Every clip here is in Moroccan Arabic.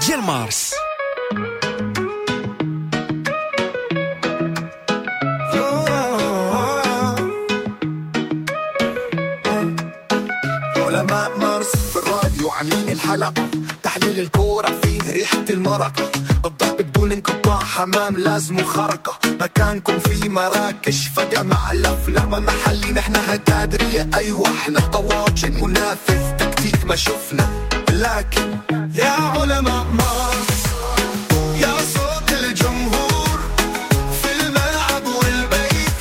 ديال مارس. علماء مارس في الراديو عاملين الحلقة، تحليل الكورة فيه ريحة المرقة، الضرب بدون انقطاع، حمام لازم خرقة، مكانكم في مراكش فجأة مع الأفلام محلي، نحن هتادرية أيوة احنا طواجن منافذ تكتيك ما شفنا، لكن يا علماء مارس يا صوت الجمهور في الملعب والبيت،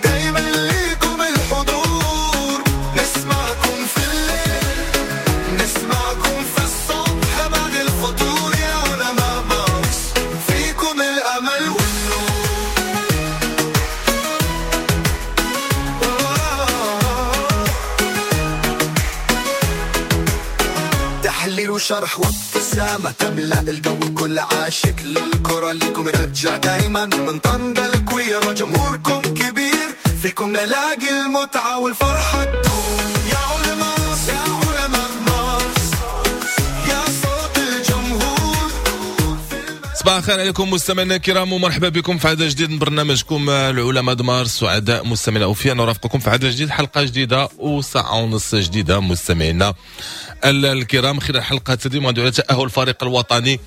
دايما ليكم الحضور، نسمعكم في الليل نسمعكم في الصبح بعد الفطور، يا علماء مارس فيكم الأمل والنور. تحليل وشرح وابتسامة تملأ الجو، كل عاشق للكرة ليكم رجع دايما، من طنجة الكويرة جمهوركم كبير، فيكم نلاقي المتعة والفرحة تدوم. يا علماء مارس، يا علماء مارس، يا صوت الجمهور. صباح الخير عليكم مستمعينا الكرام، ومرحبا بكم في عدد جديد من برنامجكم العلماء د مارس. سعداء مستمعينا اوفياء نرافقكم في عدد جديد، حلقة جديدة وساعة ونص جديدة مستمعينا الكرام. خلال حلقة اليوم غندوي على تاهل الفريق الوطني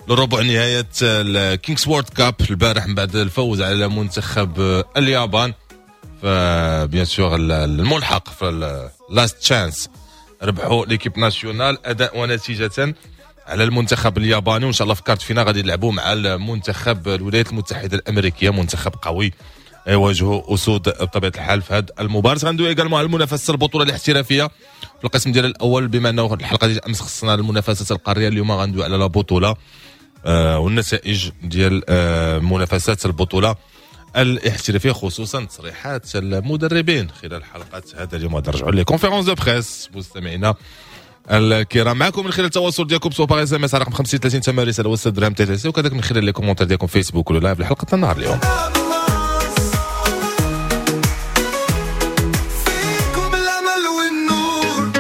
لربع نهاية ال Kings World Cup البارح من بعد الفوز على منتخب اليابان، ف bien sûr الملحق في ال last chance ربحوا l'équipe nationale اداء ونتيجة على المنتخب الياباني، وان شاء الله في quart de finale غادي يلعبوا مع المنتخب الولايات المتحدة الامريكية، منتخب قوي يواجهوا اسود بطبيعة الحال في هذه المباراة. غندوي également على المنافسة البطولة الاحترافية في القسم ديال الاول، بما انه الحلقة ديال امس خصنا المنافسات القارية، اليوم غندوي على la بطوله والنتائج ديال منافسات البطولة الاحترافية، خصوصا تصريحات المدربين خلال حلقة هذا اليوم. غادي نرجعوا les conférences de presse مستمعينا الكرام معكم من خلال التواصل ديالكم سواء par SMS على رقم 50 30 8 رسالة وست درهم TTC، وكذلك من خلال les commentaires ديالكم فيسبوك ولا live لحلقة النهار اليوم. فيكم الأمل والنور.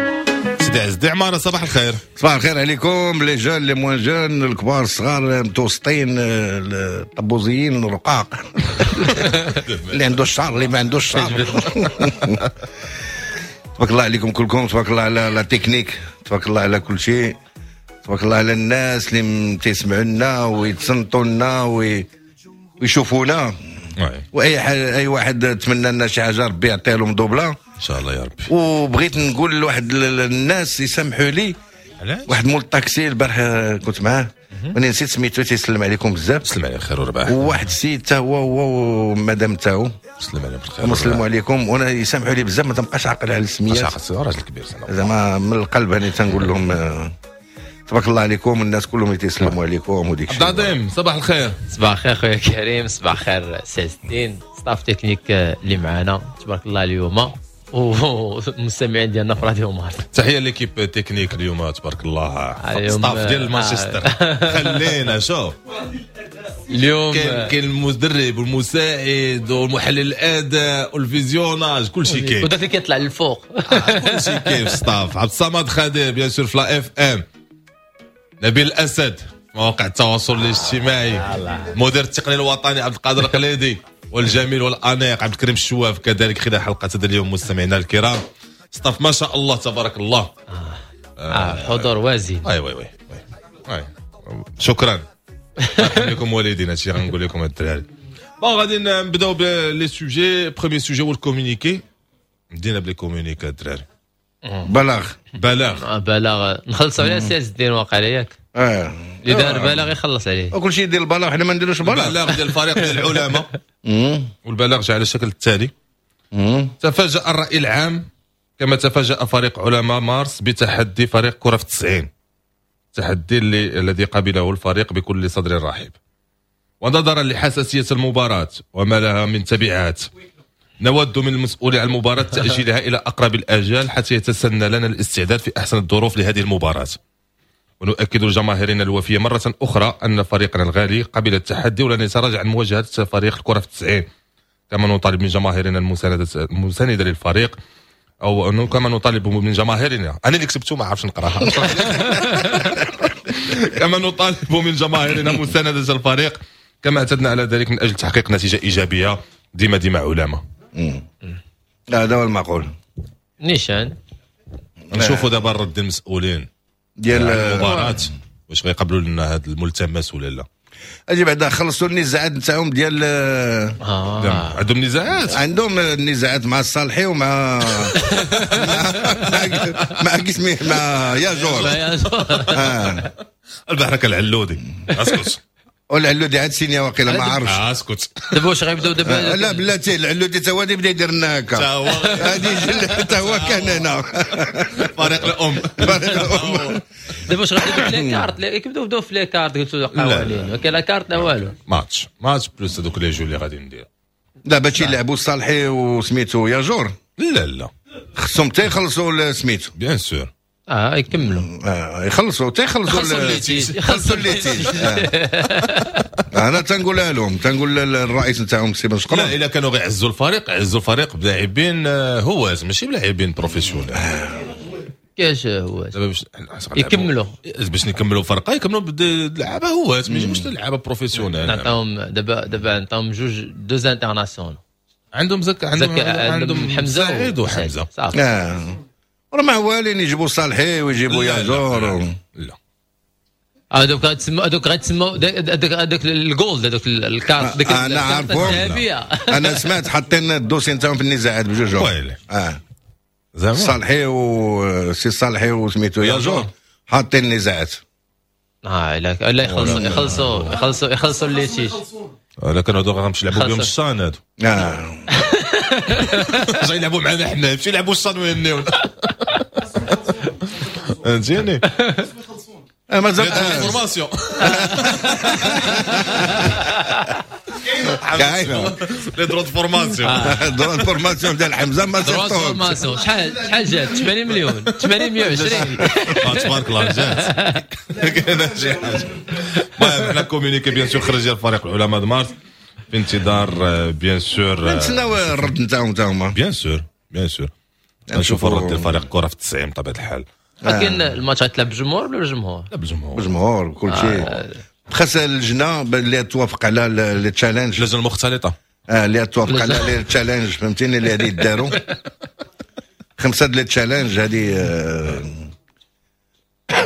سيدي عز الدين عمارة، صباح الخير. صباح الخير عليكم les jeunes les moins jeunes، الكبار الصغار المتوسطين الطبوزيين الرقاق، اللي عنده الشعر اللي ما عندوش الشعر. تبارك الله عليكم كلكم، تبارك الله على la technique، تبارك الله على كل شيء، تبارك الله على الناس اللي تيسمعوا لنا ويتصنتوا لنا ويشوفونا، واي اي واحد تمنى لنا شي حاجة ربي يعطيها لهم دوبله ان شاء الله يا ربي. وبغيت نقول لواحد الناس يسامحوا لي، واحد مول الطاكسي البارح كنت معاه وانا نسيت سميتو، تيسلم عليكم بزاف. سلم عليه خير وربح. وواحد السيد حتى هو ومدام تاعو سلم عليهم بالخير، سلموا عليكم. وانا يسامحوا لي بزاف ما تنبقاش عاقل على السميات، راجل كبير زعما من القلب انا تنقول لهم تبارك الله عليكم، الناس كلهم تيسلموا عليكم وديك الشيء. عبد العظيم صباح الخير. صباح الخير خويا كريم، صباح الخير سي عز الدين، staff technique اللي معنا تبارك الله اليوم والمستمعين ديالنا في راديو مارس. تحية l'équipe technique اليوم تبارك الله، staff ديال مانشستر. خلينا شوف اليوم كاين المدرب والمساعد والمحلل الاداء وال visionnage، كل شيء كاين، وداك اللي كيطلع للفوق كل شيء كاين في staff. عبد الصمد خادر bien sûr في la FM، نبيل الاسد مواقع التواصل الاجتماعي، مدير التقني الوطني عبد القادر القليدي، والجميل والانيق عبد الكريم الشواف كذلك خلال حلقة هذا اليوم. مستمعينا الكرام staff ما شاء الله تبارك الله، حضور وازن. oui oui oui oui شكرا لكم والدينا، هادشي غنقول لكم الدراري. bon غادي نبداو ب les sujets. premier sujet هو ال communiqué. بدينا ب les communiqués الدراري. بلاغ بلاغ بلاغ نخلصوا على سي عز الدين واقع ياك؟ اللي دار بلاغ يخلص عليه، وكل شيء يدير البلاغ، حنا ما نديروش بلاغ. البلاغ ديال الفريق ديال العلماء، والبلاغ جاء على الشكل التالي: تفاجأ الرأي العام كما تفاجأ فريق علماء مارس بتحدي فريق كرة في 90، التحدي الذي قبله الفريق بكل صدر رحب. ونظرا لحساسية المباراة وما لها من تبعات، نود من المسؤول عن المباراة تأجيلها إلى أقرب الآجال حتى يتسنى لنا الاستعداد في أحسن الظروف لهذه المباراة. ونؤكد لجماهيرنا الوفية مرة أخرى أن فريقنا الغالي قبل التحدي ولن يتراجع عن مواجهة فريق الكرة في 90، كما نطالب من جماهيرنا المساندة للفريق او انه كما نطالب من جماهيرنا. انا اللي كتبته ما عرفتش نقراها. كما نطالب من جماهيرنا مساندة الفريق كما اعتدنا على ذلك من اجل تحقيق نتيجة ايجابية. ديما ديما علامة. هذا هو المعقول. نيشان نشوفوا دابا الرد المسؤولين ديال المباراة واش غيقبلوا لنا هذا الملتمس ولا لا. اجي بعدا خلصوا النزاعات نتاعهم ديال عندهم نزاعات، عندهم النزاعات مع الصالحي ومع مع كيسميه مع ياجور. البحركه العلودي اسكت. والعلودي عاد سينيا واقيلا ما عرفتش. اسكت دابا واش غيبداو دابا؟ لا بلاتي العلودي تا هو بدا يدير لنا هكا، هادي حتى هو كان هنا فريق الام. فريق الام. دابا واش غيبداو les cartes؟ كيبداو بداو في les cartes قلتوا قوانين، ما كاين لا كارت لا والو. match match plus هذوك les jeux اللي غادي ندير دابا تيلعبوا الصالحي وسميتو ياجور. لا لا خصهم حتى يخلصوا سميتو bien sûr. يكملوا يخلصوا حتى يخلصوا يخلصوا ال litige. انا تنقولها لهم، تنقول للرئيس نتاعهم سي بن شقرون، لا الا كانوا غيعزوا الفريق عزوا الفريق بلاعبين هواة ماشي بلاعبين professionnels. كاش هواة يكملوا باش نكملوا فرقه، يكملوا بلعابه هواة ماشي لعابه professionnels. نعطيهم دابا نعطيهم جوج deux internationaux. عندهم زك عندهم حمزة سعيد وحمزة. راه ما والين يجيبوا صالحي ويجيبوا ياجور. لا هذوك غتسمى هذوك غتسمى هذاك ال gold، هذوك الكارت، ديك انا عارفهم. انا سمعت حاطين ال dossier نتاعهم في النزاعات بجوج. زعما صالحي وسي صالحي وسميتو ياجور حاطين النزاعات. لا يخلصوا يخلصوا يخلصوا يخلصوا ال litige. لكن هذوك غنمشي يلعبوا بهم الشان هادو. جاي يلعبوا معنا حنا، يمشي يلعبوا الشان ويهنيونا. فهمتيني؟ مازال formation كاينه les droits formation، droits formation ديال حمزة ما صيفطوهمش. شحال جات؟ 80 مليون 80 120. تبارك الله جات كاينه شي حاجة. المهم حنا communiqué bien sûr خرج ديال فريق العلماء مارس في انتظار bien sûr نتسناو الرد نتاعهم تا هما. bien sûr bien sûr نشوفوا الرد ديال فريق الكره في 90 بطبيعة الحال. لكن الماتش غتلعب بالجمهور ولا بالجمهور؟ لا بالجمهور، بالجمهور كل شيء. خاص اللجنة اللي توافق على les challenges، اللجنة المختلطة اللي توافق على les challenges، فهمتيني؟ اللي غادي يداروا 5 les challenges هذه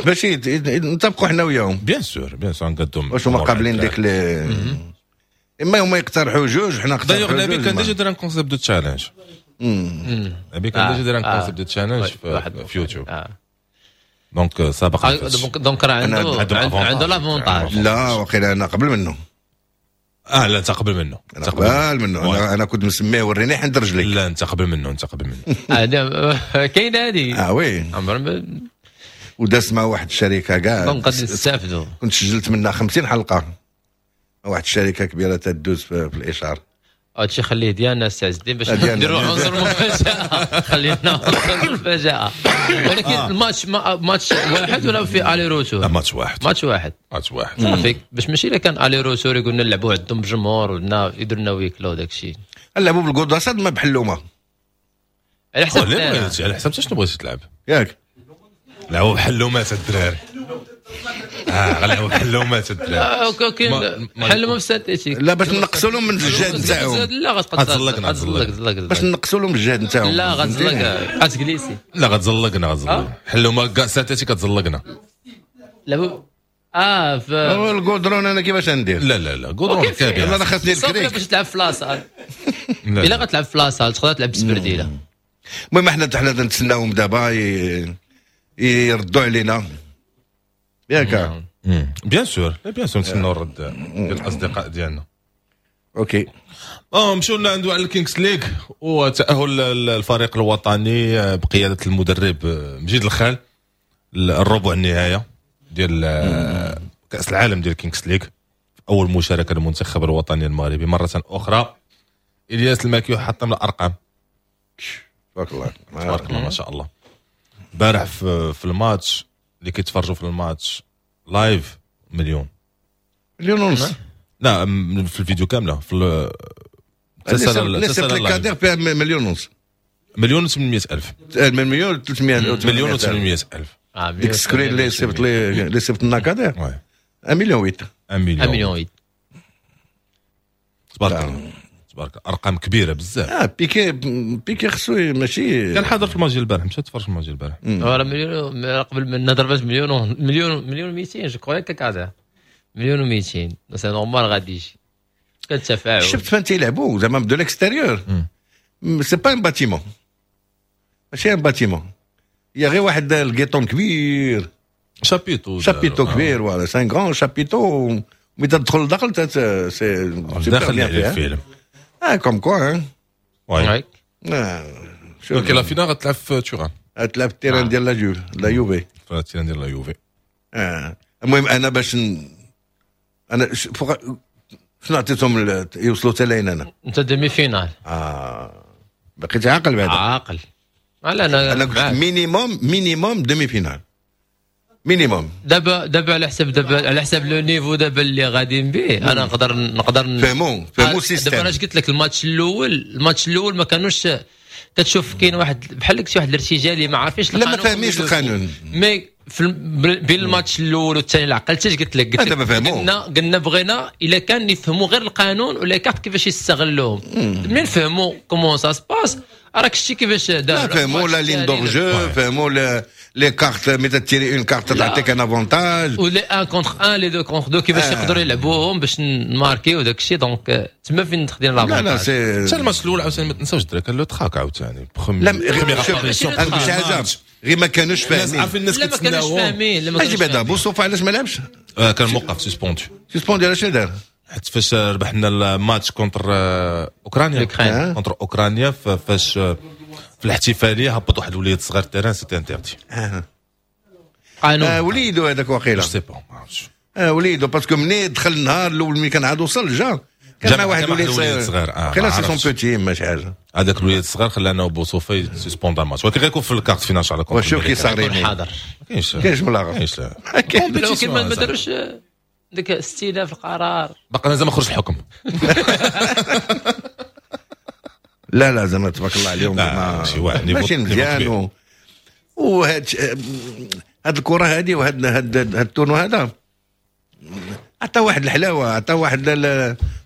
باش نتفقوا حنا وياهم. bien sûr bien sûr نقدم واش هما قابلين ديك les، اما هما يقترحوا جوج حنا نقترحوا جوج. نبي كان déjà دار un concept de challenge، نبي كان déjà دار un concept de challenge في يوتيوب. donc سابقا donc راه عنده l'avantage. لا وقيلا انا قبل منه. لا انت قبل منه، انت قبل منه. انا كنت مسميه وريني حند رجليك. لا انت قبل منه، انت قبل منه. كاين هذه. oui وداس مع واحد الشركة كاع donc غادي نستافدوا. كنت سجلت منها 50 حلقة، واحد الشركة كبيرة تدوز في الاشهار. هادشي خليه ديالنا السي عز الدين باش نديروا عنصر مفاجأة. خلينا عنصر مفاجأة. ولكن الماتش ماتش واحد ولا في aller-retour؟ لا ماتش واحد، ماتش واحد، ماتش واحد صافي. باش ماشي الا كان aller-retour يقولنا نلعبوا عندهم بجمهور ولا يديروا لنا huis clos داكشي. نلعبوا بالقداسات ما بحلومه على حسب على حسب شنو بغيتي تلعب ياك. لعبوا بحلومات الدراري. غنلعبوا بحلومات الدراري. كاين حلومه في synthétique. لا باش نقصوا لهم من الجهد نتاعهم. لا غتزلق باش نقصوا لهم الجهد نتاعهم. لا غتزلق غتجليسي. لا غتزلقنا غتزلق حلومه كاع synthétique كتزلقنا. لا الكودرون انا كيفاش ندير؟ لا لا لا كودرون كبير. انا خاصني الكريك باش تلعب في la salle. الا غتلعب في la salle تقدر تلعب بسبرديله. المهم حنا نتسناوهم دابا يردوا علينا ياك. bien sûr bien sûr نتسناو الرد ديال الاصدقاء ديالنا. OK مشيو لنا عنده على الكينغز ليغ وتاهل الفريق الوطني بقيادة المدرب مجيد الخال الربع النهاية ديال كاس العالم ديال الكينغز ليغ. اول مشاركة للمنتخب الوطني المغربي مرة اخرى. الياس الماكيو حطم الارقام. تبارك الله تبارك الله ما شاء الله. البارح في الماتش اللي كيتفرجوا في الماتش live 1.5 مليون. لا في الفيديو كاملة في تسال الكادر فيها 1.5 مليون، 1,800,000، 1,300,000، 1,800,000. ديك ال screen اللي صيفط لي، اللي صيفط لنا كادير 1 مليون 8. 1 مليون. 1 مليون 8. تبارك الله تبارك الله، ارقام كبيرة بزاف. بيكي بيكي خصو ماشي كان حاضر في الماتش البارح، مشى تفرج في الماتش البارح. راه مليون قبل من ضربات، مليون مليون مليون 200 je crois، كذا مليون و200، c'est normal غادي يجي كان تفاعل. شفت فين تيلعبوا زعما de l'extérieur، c'est pas un bâtiment، ماشي un bâtiment، هي غير واحد الكيطون كبير. chapiteau. chapiteau كبير، voilà، c'est un grand chapiteau. ملي تدخل لداخل c'est داخل الفيلم. Comme quoi. Oui، donc la finale غتلعب في توران. غتلعب في ال terrain ديال la Juve، la Juve. في ال terrain ديال la Juve. المهم انا باش انا فوق شنو عطيتهم يوصلوا حتى لين انا. انت demi-finale. بقيت عاقل بعدا. عاقل. لا انا انا قلت minimum minimum demi-finale minimum. دابا على حساب le niveau دابا اللي غاديين به، انا نقدر فهموا système. دابا انا قلت لك الماتش الاول ما كانوش كتشوف كاين واحد بحال قلتي واحد الارتجالي، ما عارفينش. لا، ما فاهمينش القانون. mais في بين الماتش الاول والثاني عقلتي قلت لك قلت لك قلنا بغينا الا كان يفهموا غير القانون ولا كارت كيفاش يستغلوهم. منين فهموا comment ça se passe، راك شتي كيفاش دار. لا، فهموا la ligne d'hors-jeu، فهموا les cartes، ملي تيري une carte تعطيك un avantage. و les 1 contre 1، les 2 contre 2، كيفاش يقدروا يلعبوهم باش نماركيو وداك الشيء، donc تما فين خدينا l'avantage. لا لا، c'est حتى الماتش الاول عاوتاني ما تنساوش الدراري كان le trac عاوتاني. لا، شي حاجة غير ما كانوش فاهمين. عارفين الناس. لا، ما كانوش فاهمين. لا. اجي بعدا بوصوفا علاش ما لعبش؟ كان موقف suspendu. suspendu علاش دار؟ حيت فاش ربحنا الماتش contre اوكرانيا، contre اوكرانيا، فاش في الاحتفالية هبط واحد الوليد صغير terrain، c'était interdit. قانون. وليدو هذاك وقيله. sais pas، ما عرفتش. وليدو، parce que مني دخل النهار الاول ملي كان عاد وصل جا كان مع واحد الوليد صغير. وقيله c'est son petit، ماشي حاجه. هذاك الوليد الصغير خلانا بوصوفي suspend الماتش، ولكن غيكون في ال quart de finale على contre. وشوف كي صار. حاضر. ما كاينش. كاينش ملاغه. كاينش، لا. ولكن ما داروش ديك استئناف القرار. باقي مازال ما خرج الحكم. لا لا، زعما تبارك الله عليهم. ماشي واحد. ماشي مزيان. وهاد هاد الكره هذه وهاد هاد هاد ال tournoi هذا عطى واحد الحلاوه، عطى واحد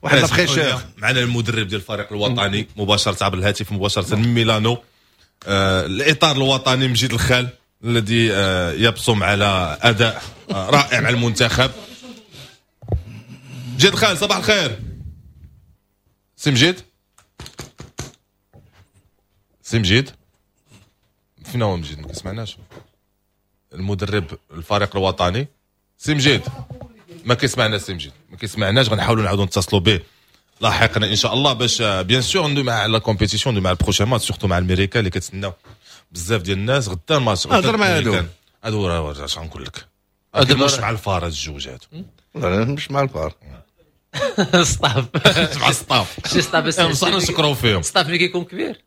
la fraîcheur. معنا المدرب ديال الفريق الوطني مباشرة عبر الهاتف، مباشرة من ميلانو، الاطار الوطني مجيد الخال الذي يبصم على اداء رائع مع المنتخب. مجيد الخال، صباح الخير سي مجيد. سي مجيد، فين هو مجيد؟ ما كيسمعناش. المدرب الفريق الوطني سي مجيد ما كيسمعنا. سي مجيد ما كيسمعناش، غنحاولوا نعاودوا نتصلوا به لاحقا ان شاء الله باش bien sûr ندوي مع la compétition، ندوي مع ال prochain match، surtout مع الميريكا اللي كتسناو بزاف ديال الناس غدا الماتش. هضر مع هادو. هادو راه اش غنقول لك، مش مع الفار هاد الجوج هادو. لا، مش مع الفار. staff. مع staff. شي staff. بصح نشكروا فيهم. staff ملي كيكون كبير.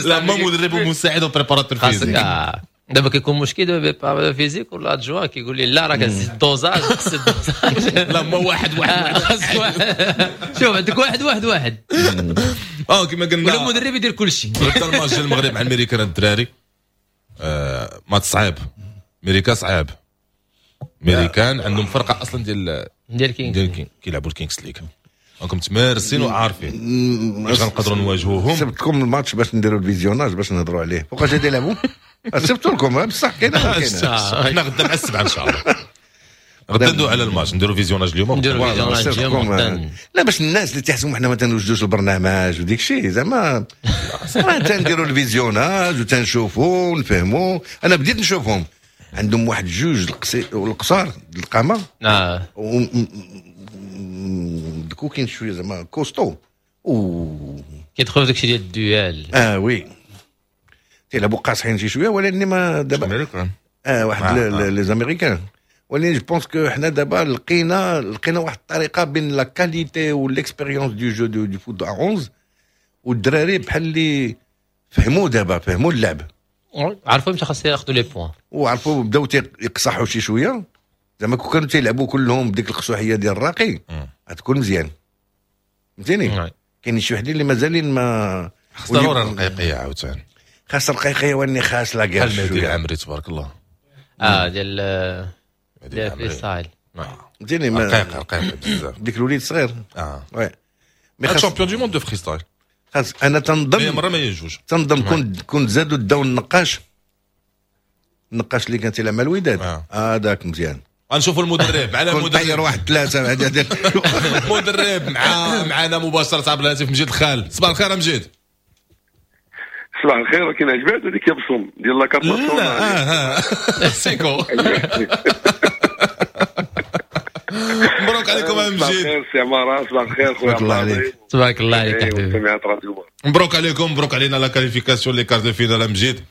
لا، ما مدرب ومساعد و préparateur physique. دابا كيكون مشكل دابا physique ولا adjoint كيقول لي لا، راه كتزيد ال dosage، خص ال dosage. لا، ما واحد واحد. واحد. شوف، عندك واحد واحد واحد. كما قلنا. ولا المدرب يدير كل شيء. غدا الماتش ديال المغرب مع الميريكان الدراري، ماتش صعيب، امريكا صعيب، امريكان عندهم فرقه اصلا ديال ديال كينغ. ديال كينغ، كيلعبوا ال Kings League، راكم تمارسين وعارفين باش غنقدروا نواجهوهم. سبت لكم الماتش باش نديروا ال visionnage باش نهضروا عليه. فوقاش غادي يلعبوا؟ سبتوا لكم بصح كاينه كاينه. حنا غدا مع 7 ان شاء الله، غدا ندوي على الماتش، نديروا visionnage اليوم. نديروا visionnage اليوم. لا، باش الناس اللي تحسبوا حنا ما تنوجدوش البرنامج وديك الشيء، زعما راه تنديروا ال visionnage وتنشوفوا ونفهموا. انا بديت نشوفهم عندهم واحد جوج القصار القامه. دكو كاين شوية زعما costaud و كيدخلوا داكشي ديال ال duel. Oui، تيلعبوا قاصحين شي شويه، ولكن ما دابا امريكان. واحد les Américains، ولكن je pense que حنا دابا لقينا واحد الطريقة بين la qualité و l'expérience du jeu du foot 11، والدراري بحال اللي فهموا دابا، فهموا اللعب. عرفوا امتى خاص ياخذوا les points. وعرفوا، بداو يقصحوا شي شويه. زعما كون كانوا تيلعبوا كلهم بديك القصوحيه ديال الراقي غتكون مزيان، فهمتيني؟ كاين شي وحدين اللي مازالين ما خص ضروري الرقيقيه عاوتاني. خاص رقيقي واني خاص la guerre. بحال مهدي العمري تبارك الله. ديال freestyle. فهمتيني، رقيق رقيق بزاف. ديك الوليد صغير. Oui، mais champion du monde de freestyle. خاص انا تنظن مرة ما يجوج. تنظن كنت زادوا داو النقاش اللي كان تيلعب مع الوداد، هذاك مزيان. غنشوفوا المدرب معنا، المدرب طير واحد ثلاثة. المدرب معنا مباشرة عبر الهاتف، مجيد الخال. صباح الخير مجيد. صباح الخير. ولكن عجبات هذيك يبصم ديال la carte. لا سيكو. مبروك عليكم يا مجيد. صباح الخير سي عمارة، صباح الخير خويا عبد الله. تبارك الله عليك حبيبي. مبروك عليكم، مبروك علينا la qualification les quarts de finale مجيد.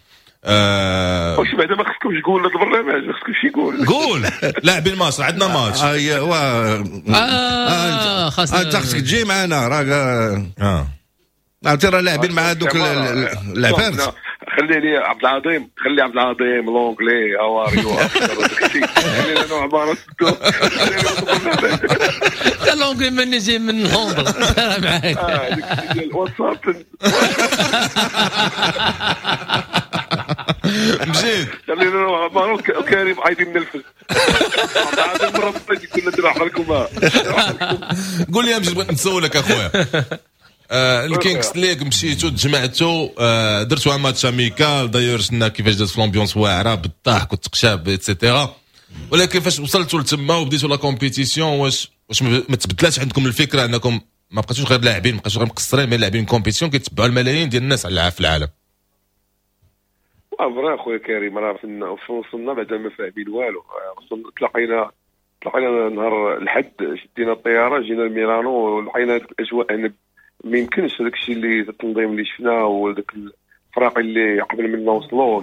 واش بعدا ما خصكمش تقول هذا البرنامج، ما خصكمش يقول. قول لاعبين ماتش، عندنا ماتش. ايوا خاصك انت خصك تجي معنا، راه عرفتي راه لاعبين مع دوك العفارت. خلي لي عبد العظيم، خلي عبد العظيم l'anglais اواريو خلي لنا عمارة. l'anglais من يجي من لندن معاك. ديال الواتساب. مجيد خلينا عمارة وكريم عايدين من الفز. عبد العظيم مرة كنا ندير لكم. قول لي يا مجيد، بغيت نسولك اخويا. الكينغز ليغ مشيتو تجمعتو، درتو match amical، d'ailleurs شفنا كيفاش داز في l'ambiance واعرة بالضحك والتقشاب et cetera، ولكن فاش وصلتوا لتما وبديتوا la compétition، واش ما تبدلاتش عندكم الفكرة انكم ما بقيتوش غير لاعبين، ما بقيتوش غير مقصرين، mais لاعبين compétition كيتبعوا الملايين ديال الناس على في العالم؟ vrai خويا كريم، راه وصلنا بعدا ما فاهمين والو. تلاقينا نهار الحد، شدينا الطيارة جينا لميلانو ولقينا هذيك الاجواء. انا ما يمكنش هذاك الشيء اللي التنظيم اللي شفناه وذاك الفراقي اللي قبل منا وصلوا.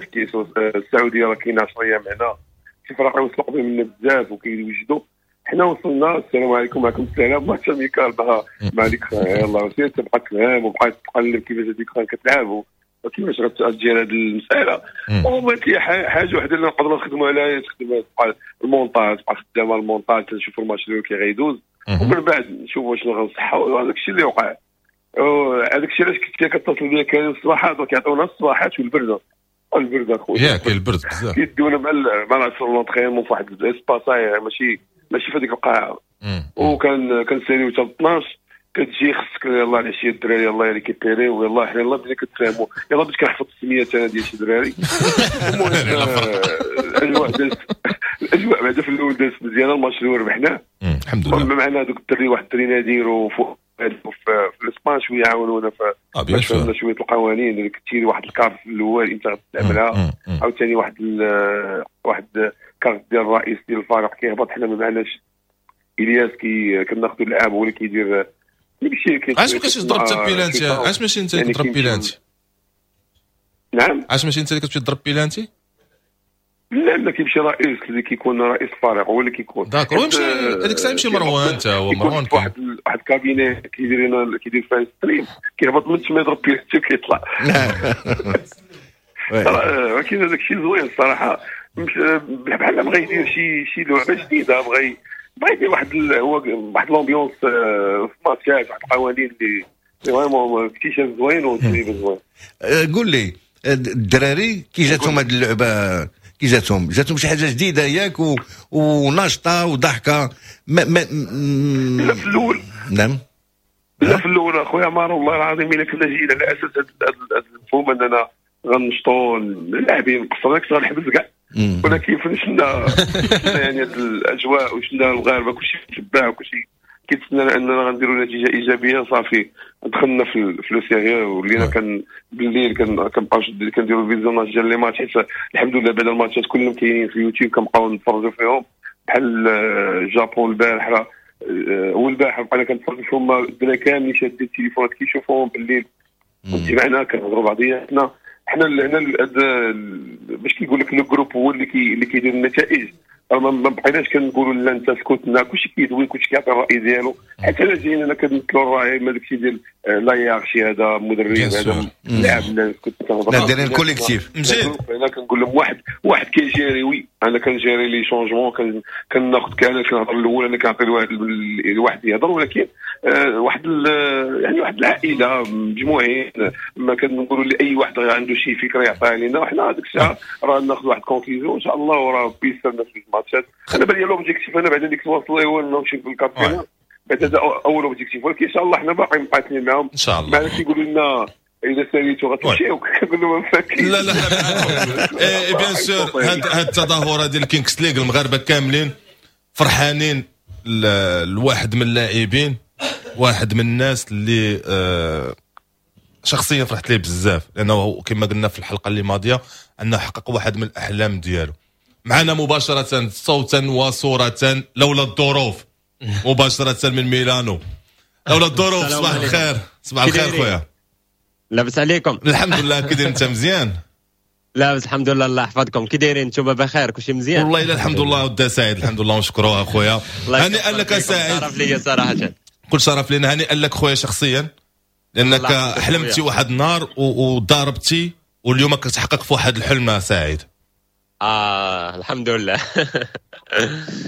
السعودية راه كاينه 10 ايام هنا، شي فراقي وصلوا قبل منا بزاف وكيوجدوا. حنا وصلنا السلام عليكم، معكم السلام، match amical مع ديك يلاه سير تبقى تفهم وبقى تقلب كيفاش هذيك كتلعب وكيفاش غتجي هذه المسالة. وما كاين حاجة وحده اللي نقدروا نخدموا عليها، تخدم تبقى المونتاج، تبقى خدامه المونتاج، تنشوفوا الماتش اللي كي غيدوز ومن بعد نشوفوا شنو غنصحوا. هذاك الشيء اللي وقع، هذاك الشيء علاش كنت كتصل بيا كان الصباحات وكيعطيونا الصباحات والبرده، البرد اخويا ياك البرد بزاف، كيديونا مع العصر l'entraînement في واحد l'espace ماشي في هذيك القاعة، وكان كنساليو حتى 12 كتجي خصك يلاه العشية الدراري يلاه récupérer ويلاه حنا يلاه بدينا كتفاهموا، يلاه بديت كنحفظ السميات انا ديال شي دراري. المهم الاجواء دازت، الاجواء بعدا في الاول دازت مزيانه، الماتش الاول ربحناه الحمد لله. معنا دوك الدري، واحد الدري نادير وفوق في الاسبان شوية عاونونا باش فهمنا شوية القوانين. اللي كتيري واحد الكارت في الاول انت غتستعملها، عاوتاني واحد كارت ديال الرئيس ديال الفريق كيهبط. حنا ما معناش الياس كي كناخذوا اللعاب هو اللي كيدير داكشي. علاش ما كنتش تضرب حتى بيلانتي؟ علاش ماشي انت اللي كتضرب بيلانتي؟ نعم، علاش ماشي انت اللي كتمشي تضرب بيلانتي؟ لا لا، كيمشي رئيس اللي كيكون رئيس الفريق هو اللي كيكون. d'accord، ويمشي هذيك الساعة يمشي مروان حتى هو، مروان واحد cabinet كيدير لنا، كيدير فيها stream، كيهبط من تما يضرب بيلانتي وكيطلع. ولكن هذاك الشيء زوين الصراحة، بحال بغى يدير شي لعبه جديدة، بغى يدير واحد هو واحد l'ambiance في ماتشات، واحد القوانين اللي vraiment اكتشاف زوين وتجربه زوين. قول لي الدراري كي جاتهم هذه اللعبة، كي جاتهم شي حاجة جديدة ياك وناشطه وضحكه؟ ما ما لا في الاول، نعم لا في الاول اخويا عمار والله العظيم الا كنا جينا على اساس هذا المفهوم اننا غنشطوا اللاعبين قصرنا كنت غنحبس كاع، ولكن فاش شفنا يعني هاد الاجواء وشفنا المغاربة كلشي متبع وكلشي كيتسنى اننا غنديروا نتيجة ايجابية، صافي دخلنا في le sérieux ولينا كان بالليل كنبقاو كنديروا visionnage ديال les matchs، حيت الحمد لله بعد الماتشات كلهم كاينين في اليوتيوب كنبقاو نتفرجوا فيهم. بحال الجابون البارح والبارح بقينا كنتفرجوا فيهم، الدراري كاملين شادين التليفونات كيشوفوهم بالليل معنا كنهضروا بعضياتنا. حنا هنا باش كيقول لك le groupe هو اللي كيدير النتائج، ما بقيناش كنقولوا لا انت سكتنا، كلشي كيدوي كلشي كيعطي الراي ديالو، حيت انا جايين انا كنمثلوا الراي، ما داكشي ديال la hiérarchie، هذا مدرب هذا لاعب، كنت كنهضر لا دايرين collectif. مزيان. انا كنقول لهم واحد كي gérer، oui انا كن gérer les changements، كناخذ كنهضر الاول، انا كنعطي الواحد يهضر، ولكن واحد يعني واحد العائلة مجموعين، ما كنقولوا لاي واحد عنده شي فكرة يعطيها لنا، وحنا هذيك الساعة راه ناخذ واحد conclusion ان شاء الله، وراه بيسرنا في الماتشات. انا بالي l'objectif انا بعد ديك الوصل هو نمشي في ال quart de finale، بعد هذا اول objectif، ولكن ان شاء الله حنا باقي مقاتلين معاهم ان شاء الله. معنا كيقولوا لنا اذا ساليتو غتمشيو، كنقول لهم فاكين. لا لا bien sûr، هاد التظاهرة ديال الكينكس ليغ المغاربة كاملين فرحانين. الواحد من اللاعبين، واحد من الناس اللي شخصيا فرحت ليه بزاف، لانه كما قلنا في الحلقة اللي ماضيه انه حقق واحد من الاحلام ديالو. معنا مباشرة صوتا وصوره لولا الظروف، مباشرة من ميلانو، لولا الظروف. صباح الخير. صباح الخير خويا. لاباس عليكم؟ الحمد لله، كي داير انت؟ مزيان؟ لاباس الحمد لله، الله يحفظكم. كي دايرين انتم؟ بخير؟ كلشي مزيان؟ والله الا الحمد لله ودا سعيد، الحمد لله ونشكروه اخويا. هنيئا لك سعيد. شرف لي صراحه. كل شرف لنا. هنيئا لك خويا شخصيا، لانك حلمتي واحد النهار وضاربتي، واليوم كتحقق في واحد الحلم سعيد. الحمد لله.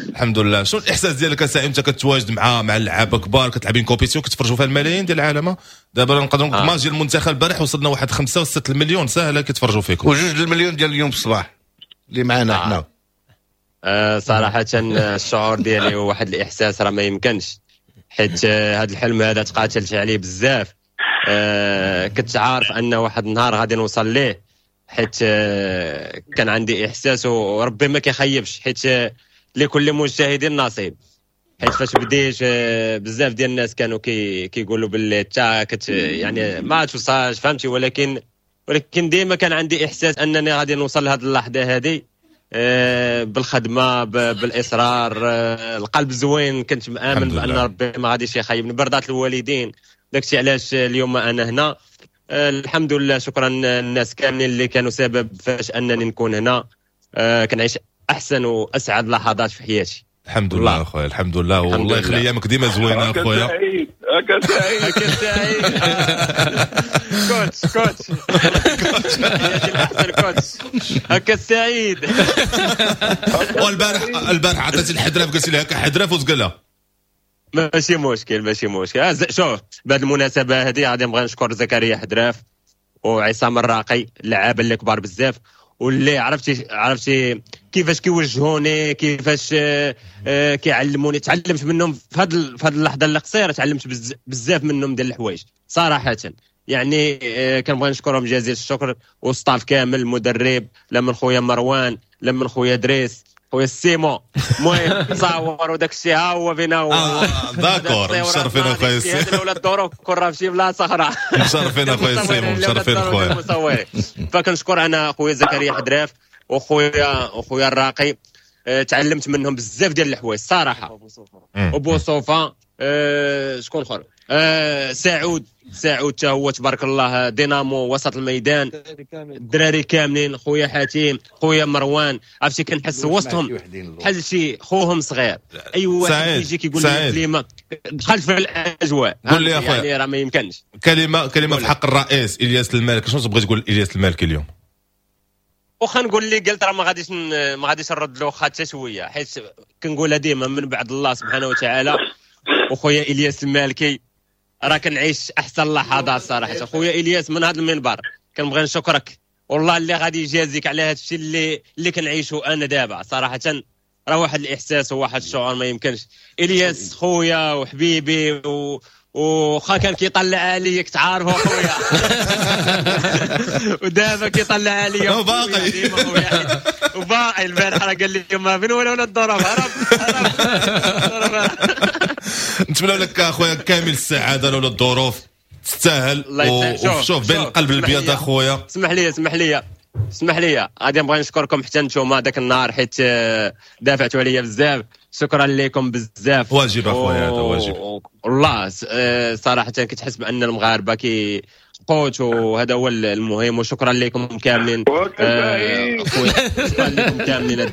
الحمد لله. شنو الاحساس ديالك سعيد انت كتواجد مع اللعابه كبار، كتلعبين compétition كتفرجوا فيها الملايين ديال العالم؟ دابا نقدروا نقول ماتش ديال المنتخب البارح وصلنا واحد 5 و6 المليون ساهله كيتفرجوا فيكم، وجوج المليون ديال اليوم الصباح اللي معنا حنا. صراحة الشعور ديالي هو واحد الاحساس راه ما يمكنش، حيت هذا الحلم هذا تقاتلت عليه بزاف. كنت عارف ان واحد النهار غادي نوصل ليه، حيت كان عندي احساس وربي ما كيخيبش، حيت لكل مجتهد نصيب. حيت فاش بديت بزاف ديال الناس كانوا كيقولوا باللي تا كت يعني ما توصلش، فهمتي؟ ولكن ديما كان عندي احساس انني غادي نوصل لهذه اللحظة هذه بالخدمة، بالاصرار، القلب زوين. كنت مآمن بان ربي ما غاديش يخيبني، برضات الوالدين. داكشي علاش اليوم انا هنا، الحمد لله. شكرا الناس كاملين اللي كانوا سبب فاش انني نكون هنا. كنعيش احسن واسعد لحظات في حياتي. الحمد لله اخويا، الحمد لله، والله يخلي ايامك ديما زوينة اخويا. هكا سعيد، هكا سعيد. coach coach احسن coach، هكا سعيد. والبارح البارح عطيتي الحدراف، قلت لها هكا حدراف وتقول ماشي مشكل، ماشي مشكل. شوف، بهذه المناسبة هذه غادي نبغي نشكر زكريا حدراف وعصام الراقي، اللعابه اللي كبار بزاف، واللي عرفتي كيفاش كيوجهوني، كيفاش كيعلموني. تعلمت منهم في هذه اللحظة القصيرة، تعلمت بزاف منهم ديال الحوايج صراحة. يعني كنبغي نشكرهم جزيل الشكر، وال staff كامل، المدرب، لا من خويا مروان، لا من خويا دريس، خويا سيمو. المهم تصاور وداك الشيء، ها هو فينا هو. d'accord، مشرفين اخويا سيمو. ولا الظروف كون راه في شي بلاصة اخرى. مشرفين اخويا سيمو، مشرفين خويا. فكنشكر انا خويا زكريا حدراف وخويا الراقي، تعلمت منهم بزاف ديال الحوايج الصراحة. وبوصوفه، شكون اخر؟ سعود حتى هو تبارك الله دينامو وسط الميدان، الدراري كاملين، خويا حاتم، خويا مروان، عرفتي كنحس وسطهم بحال شي خوهم صغير. اي واحد يجي كيقول لي كلمة دخلت في الاجواء. قول لي اخويا، يعني راه ما يمكنش. كلمة في حق الرئيس الياس المالك، شنو تبغي تقول الياس المالك اليوم؟ واخا نقول اللي قلت راه ما غاديش نرد له حتى شوية، حيت كنقولها ديما من بعد الله سبحانه وتعالى وخويا الياس المالكي راه كنعيش احسن لحظات صراحة. خويا الياس من هذا المنبر كنبغي نشكرك والله، اللي غادي يجازيك على هذا الشيء اللي كنعيشه انا دابا صراحة، راه واحد الاحساس وواحد الشعور ما يمكنش. الياس خويا وحبيبي وخا كان كيطلع عليا، كنت عارفه خويا ودابا كيطلع عليا وباقي وباقي. البارح راه قال لي ما فين ولا الضرب، هرب هرب. نتمنى لك اخويا كامل السعادة لولا الظروف، تستاهل. وشوف بين القلب الابيض اخويا. اسمح لي غادي نبغي نشكركم حتى نتوما ذاك النهار، حيت دافعتوا عليا بزاف. شكرا لكم بزاف. واجب اخويا، هذا واجب والله صراحة. كتحس بان المغاربة كي قوت، وهذا هو المهم. وشكرا لكم كاملين خويا، شكرا لكم كاملين.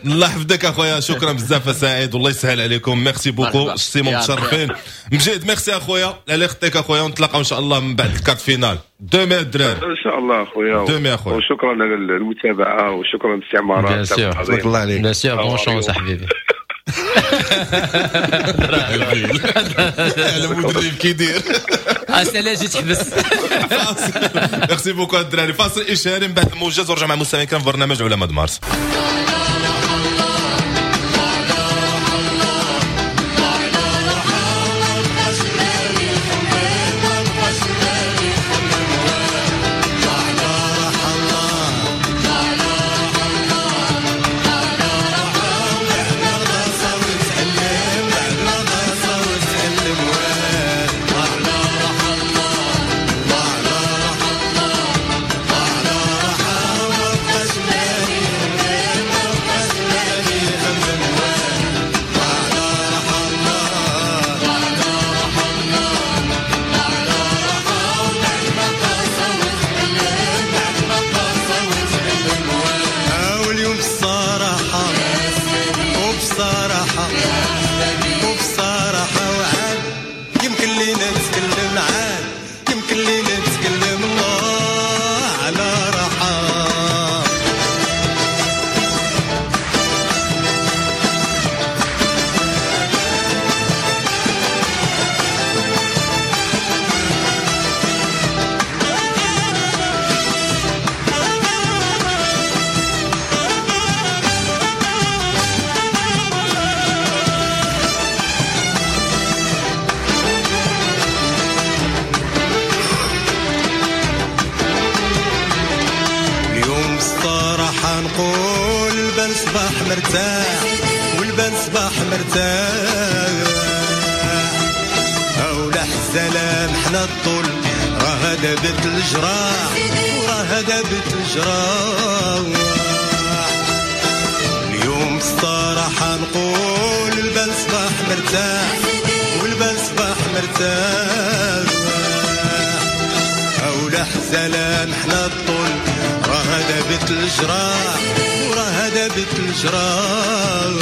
الله يحفظك اخويا، شكرا بزاف سعيد والله يسهل عليكم. merci beaucoup سيمون، متشرفين. مجيد ميرسي اخويا على خطيك اخويا، ونتلاقاو ان شاء الله من بعد ال quart de finale demain الدراري. ان شاء الله اخويا، demain اخويا. وشكرا على المتابعة وشكرا للاستعمارات. تبارك الله عليك. bien sûr، bonne chance حبيبي. على مدرب كيدير اسئلة جيت تحبس. merci beaucoup الدراري. فاصل اشهاري من بعد الموجز ورجع مع مستمعين في برنامج علماء مارس. والبان صباح مرتاح، أو سلام حنا الطول راه دابت الجراح، وراه دابت الجراح. اليوم الصراحة نقول البان صباح مرتاح، والبان صباح مرتاح، أو سلام حنا الطول راه دابت الجراح، وراه دابت الجراح.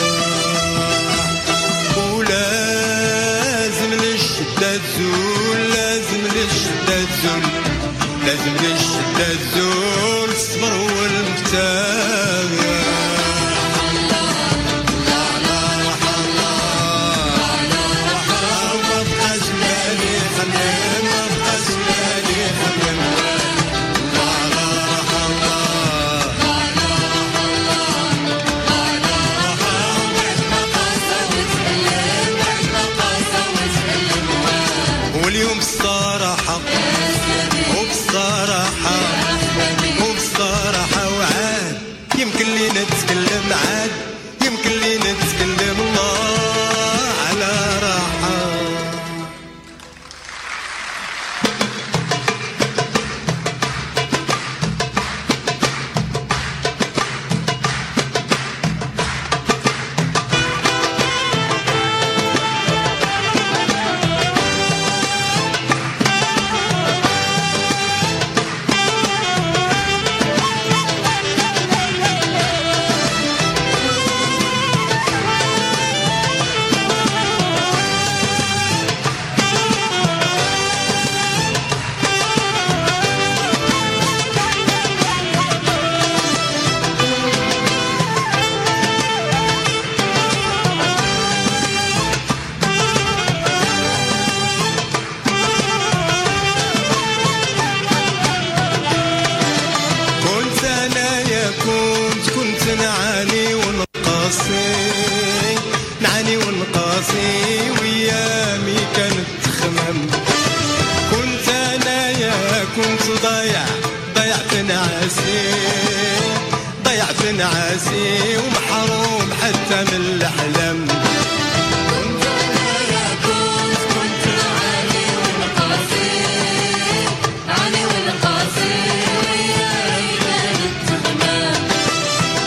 ولازم للشدة تزول، لازم للشدة تزول، لازم للشدة تزول، الصبر هو المفتاح. ما بقاش بالي خمم، ما بقاش بالي خمم، واليوم الصراحة وبصراحة وبصراحة وعاد يمكن لينا نتكلم، عاد يمكن لينا نتكلم الله على راحة. نعاني ونقاسي ويامي كانت تخمم، كنت انايا كنت ضايع، ضيعت نعاسي، ضيعت نعاسي ومحروم حتى من الاحلام. كنت انايا كنت نعاني ونقاسي، نعاني ونقاسي ويامي كانت تخمم،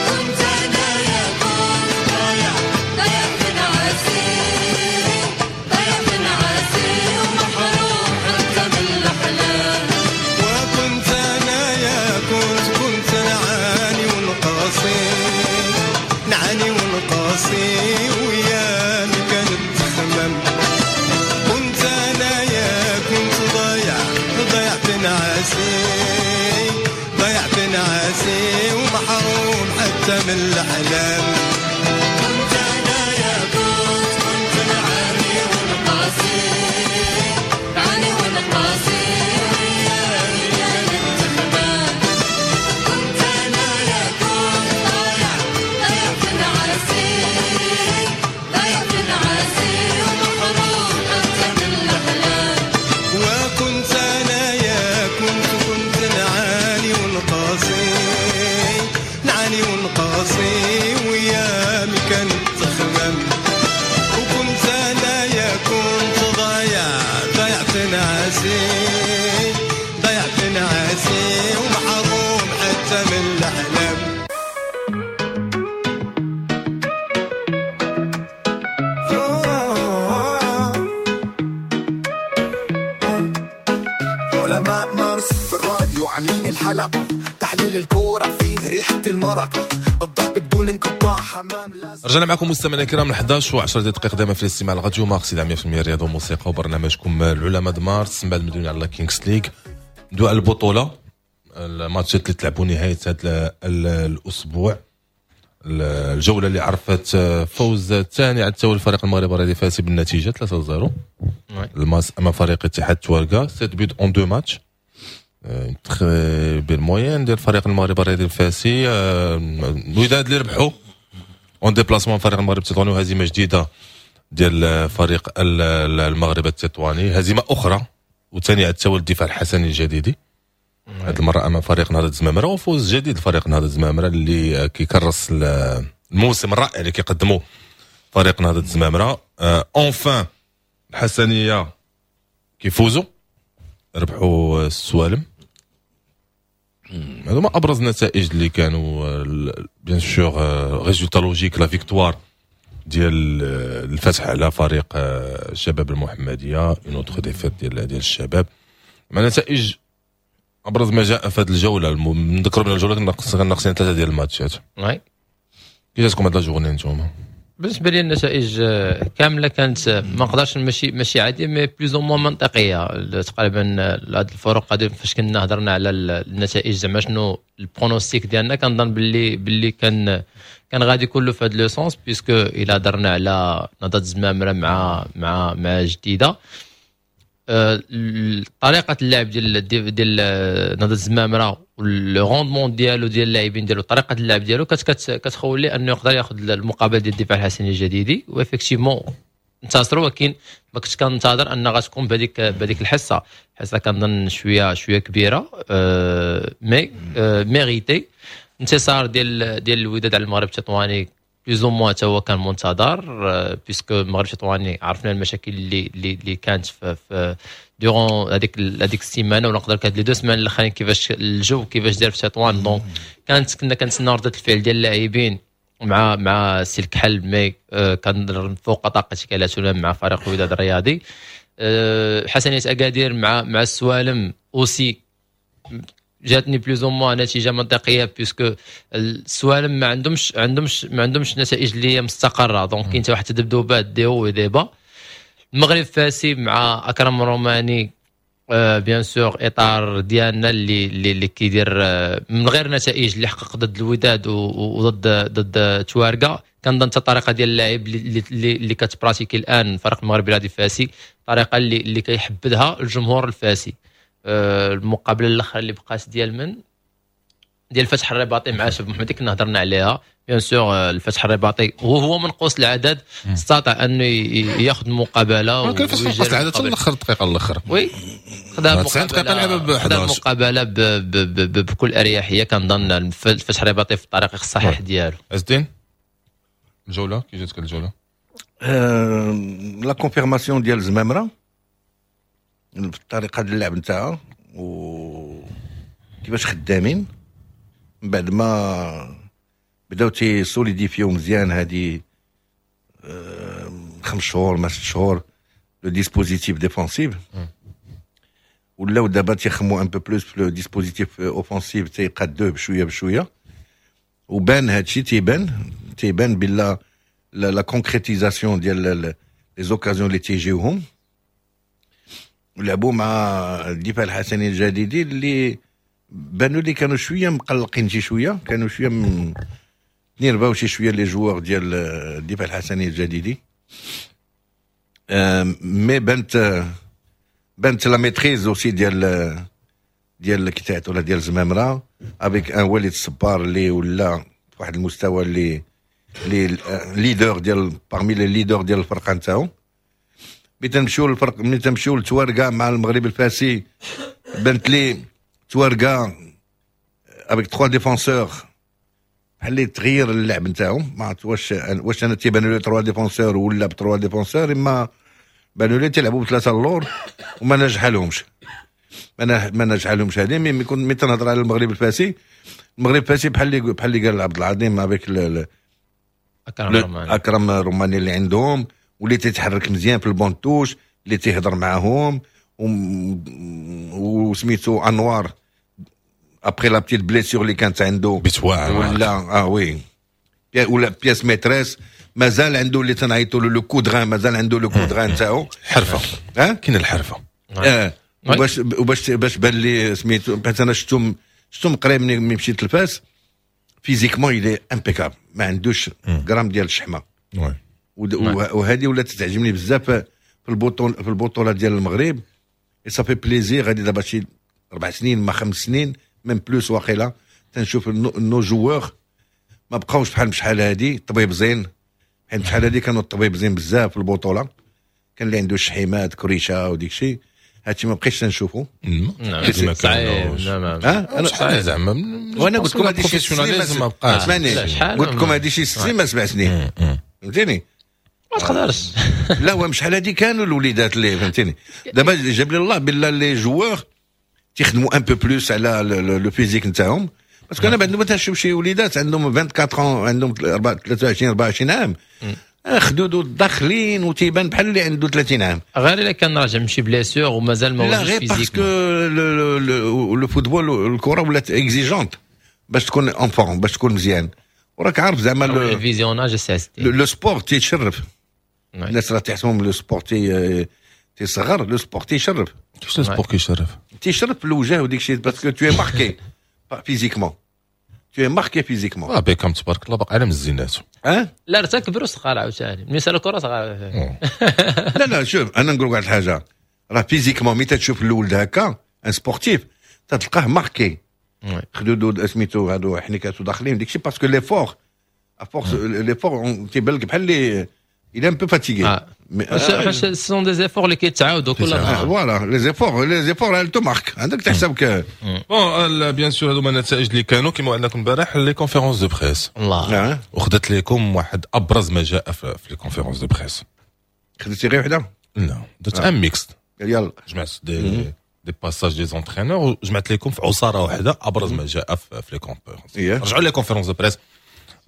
كنت انايا كنت ضايع، ضيعت نعاسي، ضيعت نعاسي ومحروم حتى من الاحلام. وكنت انايا كنت نعاني ونقاسي، حتى من الأحلام. كنت أنا يا كنت نعاني ونقاسي، نعاني ونقاسي ويامي كانت تخمام. كنت أنا يا كنت ضايع ضايع في نعاسي، ضايع في نعاسي ومحروم حتى من الأحلام. وكنت أنا يا كنت نعاني ونقاسي، نعاني ونقاسي ويامي كانت تخمم. وكنت أنا يا كنت ضايع ضايع في نعاسي، ضايع في نعاسي ومحروم حتى من الأحلام. علماء مارس في الراديو عاملين الحلقة، تحليل الكورة فيه ريحة المرق، الضحك بدون انقطاع، حمام لازم. رجعنا معكم مستمعينا الكرام 11 و10 دقائق دائما في الاستماع لراديو مارس 100% رياضة وموسيقى وبرنامجكم العلماء د مارس. من بعد مدوني على Kings League، ندوي على البطولة، الماتشات اللي تلعبوا نهاية هذا الاسبوع، الجولة اللي عرفت فوز الثاني على التوالي الفريق المغربي الرياضي فاسي بالنتيجة 3-0 الماس امام فريق اتحاد تواركا، 7 buts en 2 matchs، très belle moyenne ديال الفريق المغربي الرياضي الفاسي. الوداد اللي ربحوا en déplacement فريق المغرب التطواني، وهزيمة جديدة ديال فريق المغرب التطواني، هزيمة اخرى وثاني على التوالي الدفاع الحسني الجديدي، هذه المرة امام فريق نهضة الزمامره، وفوز جديد لفريق نهضة الزمامره اللي كيكرس الموسم الرائع اللي كيقدمه فريق نهضة الزمامره. enfin الحسنيه كيفوزوا، ربحوا السوالم. هذو ما ابرز النتائج اللي كانوا، bien sûr résultat logique la victoire ديال الفتح على فريق الشباب المحمدية، une autre défaite ديال الشباب. مع نتائج ابرز ما جاء في هذه الجولة، نذكروا بان الجولة كنا ناقصين 3 ديال الماتشات. oui. كي جاتكم هاد la journée نتوما؟ بالنسبة لي النتائج كاملة كانت ما نقدرش ماشي عادية، mais plus ou moins منطقية تقريبا. هاد الفرق هادي فاش كنا هضرنا على النتائج زعما شنو ال pronostic ديالنا، كنظن باللي كان غادي كله في هاد le sens، puisque الا هضرنا على نهضة الزمامره مع مع مع جديدة، طريقه اللعب ديال نهضة الزمامره و le rendement ديالو ديال اللاعبين ديالو، طريقه اللعب ديالو كتخول ليه انه يقدر ياخذ المقابلة ديال الدفاع الحسني الجديدي، و effectivement انتصروا. ولكن ما كنتش كنتظر ان غتكون بهذيك الحصة كنظن شوية كبيرة، mais mérité. انتصار ديال الوداد على المغرب التطواني plus ou moins تا هو كان منتظر، puisque المغرب التطواني عرفنا المشاكل اللي كانت في durant هذيك السيمانة، ولا نقدر كانت les deux semaines الاخرين، كيفاش الجو كيفاش دار في تطوان. donc كنا كنتسناو ردة الفعل ديال اللاعبين مع السي الكحل، mais كان فوق طاقة كالاتولا مع فريق الوداد الرياضي. حسنيه اكادير مع السوالم aussi جاتني plus ou moins نتيجة منطقية، puisque السوالم ما عندهمش نتائج اللي هي مستقره، donc كاين واحد التذبذبات des hauts des bas. المغرب فاسي مع اكرم روماني، bien sûr اطار ديالنا اللي كيدير من غير نتائج اللي حقق ضد الوداد وضد تواركا، كنظن حتى الطريقة ديال اللاعب اللي كت pratiquer الان فريق المغرب الرياضي الفاسي، طريقه اللي كيحبذها الجمهور الفاسي. المقابلة الاخرى اللي بقات ديال الفتح الرباطي مع شباب محمدي كنا هضرنا عليها، bien sûr الفتح الرباطي وهو منقوص العدد استطاع انه ياخذ المقابلة، ولكن فاش نقص العدد حتى الاخر الدقيقة الاخرى، oui خدا المقابلة بكل اريحية. كنظن الفتح الرباطي في الطريق الصحيح ديالو. عز الدين، الجولة كي جاتك الجولة؟ la confirmation ديال زمامرة الطريقة ديال اللعب نتاعها و كيفاش خدامين من بعد ما بداو تي solidifier مزيان هادي 5 شهور ما 6 شهور le dispositif défensif، ولاو دابا تيخمو un peu plus في le dispositif offensif، تيقادوه بشوية بشوية، وبان هادشي تيبان بلا la concrétisation ديال les occasions اللي تيجيوهم. ولعبوا مع الدفاع الحسني الجديدي اللي بانوا لي كانوا شوية مقلقين شي شوية، كانوا شوية تنيرفاو شي شوية les joueurs ديال الدفاع الحسني الجديدي، mais بانت la maîtrise aussi ديال كي ولا ديال زمامرة avec un وليد الصبار اللي ولا في واحد المستوى اللي leader ديال parmi les leaders ديال الفرقة نتاعو. ملي تنمشيو للفرق، ملي تنمشيو لتواركا مع المغرب الفاسي، بانت لي تواركا avec trois défenseurs بحال اللي تغير اللعب نتاعو. ما عرفت واش انا تيبانوا لي trois défenseurs ولا ب trois défenseurs، اما بانوا لي تيلعبوا بثلاثة اللور وما نجح لهمش، ما نجح لهمش هذه. mais كنت ملي تنهضر على المغرب الفاسي، المغرب الفاسي بحال اللي قال عبد العظيم avec اكرم روماني. اكرم روماني اللي عندهم واللي تيتحرك مزيان في ال banc de touche، اللي تيهضر معاهم، وسميتو انوار après la petite blessure اللي كانت عنده بيت واعر. ولا oui ولا pièce maîtresse، مازال عنده اللي تنعيطوا له le coup de rein، مازال عنده le coup de rein نتاعو. حرفه. ها. كاين الحرفه. اه، وباش وباش باش بان لي سميتو، حيت انا شفتهم قريب ملي مشيت لفاس، physiquement il est impeccable، ما عندوش غرام ديال الشحمه. وهذه ولات تعجبني بزاف في البطوله ديال المغرب، et ça fait plaisir. غادي دابا شي 4 سنين ما 5 سنين même plus واقيلا تنشوف nos joueurs ما بقاوش بحال شحال هادي طبيب زين، حيت شحال هادي كانوا الطبيب زين بزاف في البطوله، كان اللي عنده الشحيمات كريشه وديك الشيء، هادشي ما بقيتش تنشوفو. نعم، صعيب، نعم. ها انا شحال زعما؟ وانا قلت لكم هادي شي professionnalisme ما بقاش. اسمعني، قلت لكم هادي شي 6 سنين ما 7 سنين، فهمتيني؟ ما تقدرش. لا، هو شحال هادي كانوا الوليدات اللي، فهمتيني؟ دابا جاب لي الله بالله les joueurs تيخدموا un peu plus على le physique نتاعهم، parce que انا بعد ما تنشوف شي وليدات عندهم 24، عندهم 23، 24 عام، خدودو داخلين وتيبان بحال اللي عنده 30 عام. غير الا كان راجع من شي blessure ومازال ما لا، غير parce que le football، الكره ولات exigeante باش تكون en forme، باش تكون مزيان، وراك عارف زعما ال visionnage. le sport تيشرف. الناس راه تحسبهم le sport تيصغر، le sport تيشرف. كيفاش le sport كيشرف؟ تيشرف في الوجه وديك الشيء، parce que tu es marqué physiquement، tu es marqué physiquement. اه، بيكام تبارك الله باقي على مزيناتو. اه. لا، ارتكب صغار عاوتاني ملي سال الكره صغار. لا لا، شوف، انا نقول واحد الحاجه، راه physiquement ملي تشوف الولد هكا un sportif تلقاه marqué، خدودو سميتو هادو حنيكاتو داخلين ديك الشيء، parce que l'effort، à force l'effort تيبان لك بحال اللي il est un peu fatigué. ce sont des efforts اللي كيتعاودوا كل نهار. voilà، les efforts elles te marquent، عندك تحسب. bon، bien sûr هادو هما النتائج اللي كانوا كيما وعدناكم البارح، les conférences de presse. الله. وخدت لكم واحد ابرز ما جاء في les conférences de presse. خديتي غير وحده؟ لا، درت un mix. يلا. جمعت des passages des entraîneurs وجمعت لكم في عصارة واحدة ابرز ما جاء في les conférences. رجعوا les conférences de presse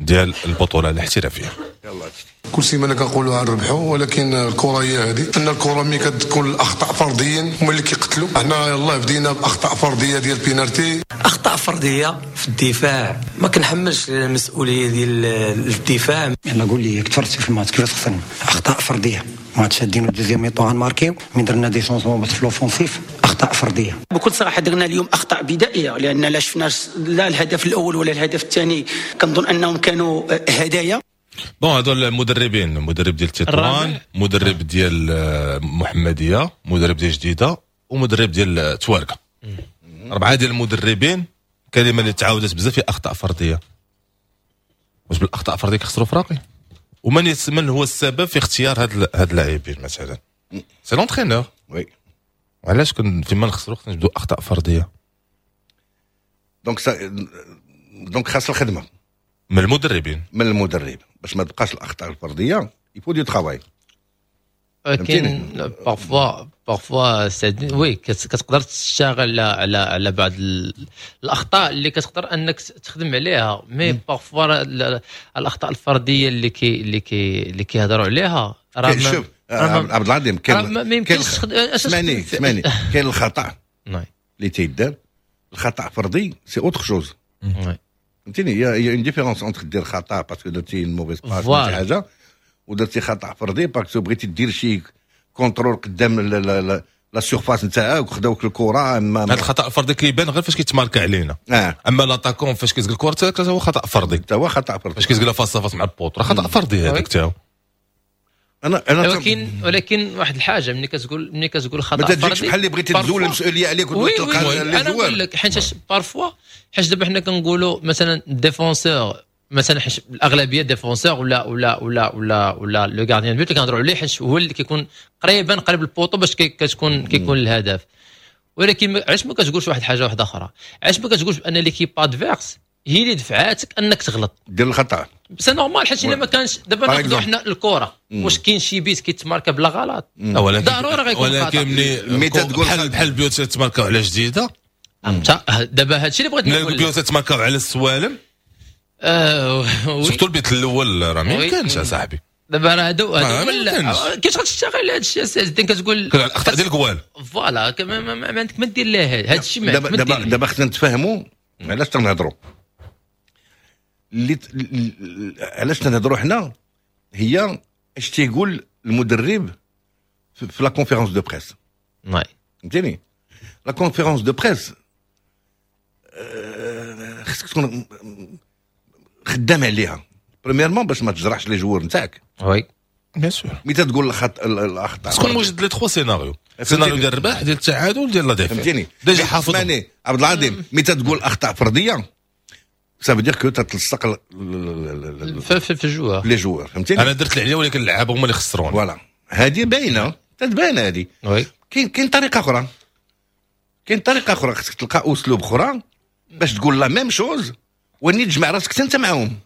ديال البطولة الاحترافيه. يلا. كل سيمانه كنقولوا غنربحوا، ولكن الكره هي هذه، ان الكره ملي كتكون الاخطاء فرديا هما اللي كيقتلوا. حنا يلاه بدينا باخطاء فردية ديال بينالتي. اخطاء فردية في الدفاع، ما كنحملش المسؤولية ديال الدفاع. انا قول لي تفرجت في الماتش كيفاش خسرنا؟ اخطاء فرديه. ماتش شادين deuxième mi-temps غنماركيو، من درنا des changements في l'offensif، اخطاء فرديه. بكل صراحة درنا اليوم اخطاء بدائيه، لان لا شفنا لا الهدف الاول ولا الهدف الثاني، كنظن انهم كانوا هدايا. bon، هادو المدربين: مدرب ديال تطوان، مدرب ديال محمديه، مدرب ديال جديده، ومدرب ديال تواركه. اربعة ديال المدربين، كلمة اللي تعاودت بزاف هي اخطاء فرديه. واش بالاخطاء الفردية كيخسروا فراقي؟ ومن من هو السبب في اختيار هاد اللاعبين مثلا؟ c'est l'entraîneur. oui. علاش كن فيما نخسروا خصنا نجبدوا اخطاء فرديه؟ donc خاص الخدمة من المدربين. من المدرب، باش ما تبقاش الاخطاء الفردية il faut du travail. ولكن parfois oui كتقدر تشتغل على بعض الاخطاء اللي كتقدر انك تخدم عليها، mais parfois الاخطاء الفردية اللي كيهضروا عليها راه شوف عبد العظيم، كاين ما يمكنش. اسمعني اسمعني، كاين الخطا اللي تيدار، الخطا فردي c'est autre chose، فهمتيني؟ y a une différence entre دير خطا parce que درتي mauvaise passe شي حاجه، ودرتي خطا فردي parce que بغيتي دير شي contrôle قدام la surface نتاعك وخداوك الكره. اما هذا الخطا الفردي كيبان غير فاش كيتماركا علينا. اما l'attaquant فاش كيزق الكره حتى هو خطا فردي، حتى هو خطا فردي فاش كيزق face à face مع ال poteau راه خطا فردي هذاك حتى هو. انا ولكن واحد الحاجة، ملي كتقول خطا ما تجيكش بحال اللي بغيتي تزول المسؤولية عليك وتلقى. انا نقول لك حيت parfois، حيت دابا حنا كنقولوا مثلا défenseur مثلا، حيت الاغلبية défenseur ولا le gardien de but اللي كنهضروا عليه، حيت هو اللي كيكون قريبا قريب ال poteau باش كيكون الهدف. ولكن علاش ما كتقولش واحد الحاجة واحدة اخرى؟ علاش ما كتقولش بان l'équipe adverse هي اللي دفعاتك انك تغلط؟ دير الخطا. c'est normal، حيت الا ما كانش دابا ناخذوا حنا الكره، واش كاين شي بيت كيتماركا بلا غلط؟ ولكن ضروري غيكون. ولكن ملي تقول بحال البيوت تماركاو على جديده. دابا هادشي اللي بغيت نقول. البيوت تماركاو على السوالم، surtout البيت الاول راه ما يمكنش اصاحبي. دابا راه هادو كيفاش غتشتغل على هذا الشيء السي الدين؟ كتقول الاخطاء ديال الكوال. voilà، ما عندك ما دير ليه هذا الشيء. ما دابا خصنا نتفاهموا علاش تنهضروا، اللي علاش تنهضروا حنا هي اش تيقول المدرب في la conférence de presse. فهمتيني؟ la conférence de presse خصك تكون خدام عليها premièrement باش ما تجرحش les joueurs نتاعك. oui. bien sûr. ملي تقول الاخطاء تكون موجد les trois scénarios، سيناريو ديال الرباح، ديال التعادل، ديال la défaite. فهمتيني؟ déjà حافظ. اسمعني عبد العظيم، ملي تقول اخطاء فردية ça veut dire que تتلصق في ال joueurs. les joueurs، فهمتيني؟ انا درت اللي عليا ولكن اللعابه هما اللي خسروني. voilà، هذه باينه، تتبان هذه. كاين طريقه اخرى، كاين طريقه اخرى، خصك تلقى اسلوب اخرى باش تقول la même chose وني تجمع راسك انت معاهم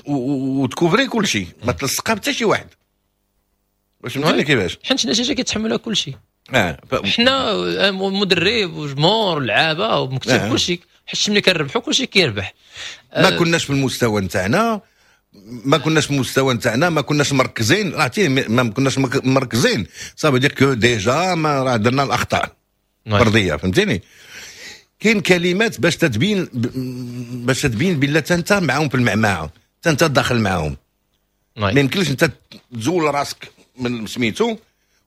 وتكوفري كل شيء، ما تلصقها حتى شي واحد. واش فهمتني كيفاش؟ حيت النتيجة كيتحملها كل شيء. حنا مدرب وجمهور ولعابه ومكتب، كل شيء، حيت ملي كنربحوا كل شيء كيربح. ما كناش في المستوى نتاعنا، ما كناش في المستوى نتاعنا، ما كناش مركزين. عرفتي، ما كناش مركزين ça veut dire que déjà ما راه درنا الاخطاء فرديه، فهمتيني؟ كاين كلمات باش تبين بلا انت معاهم في المعمعه، انت داخل معاهم. ما يمكنلكش انت تزول راسك من سميتو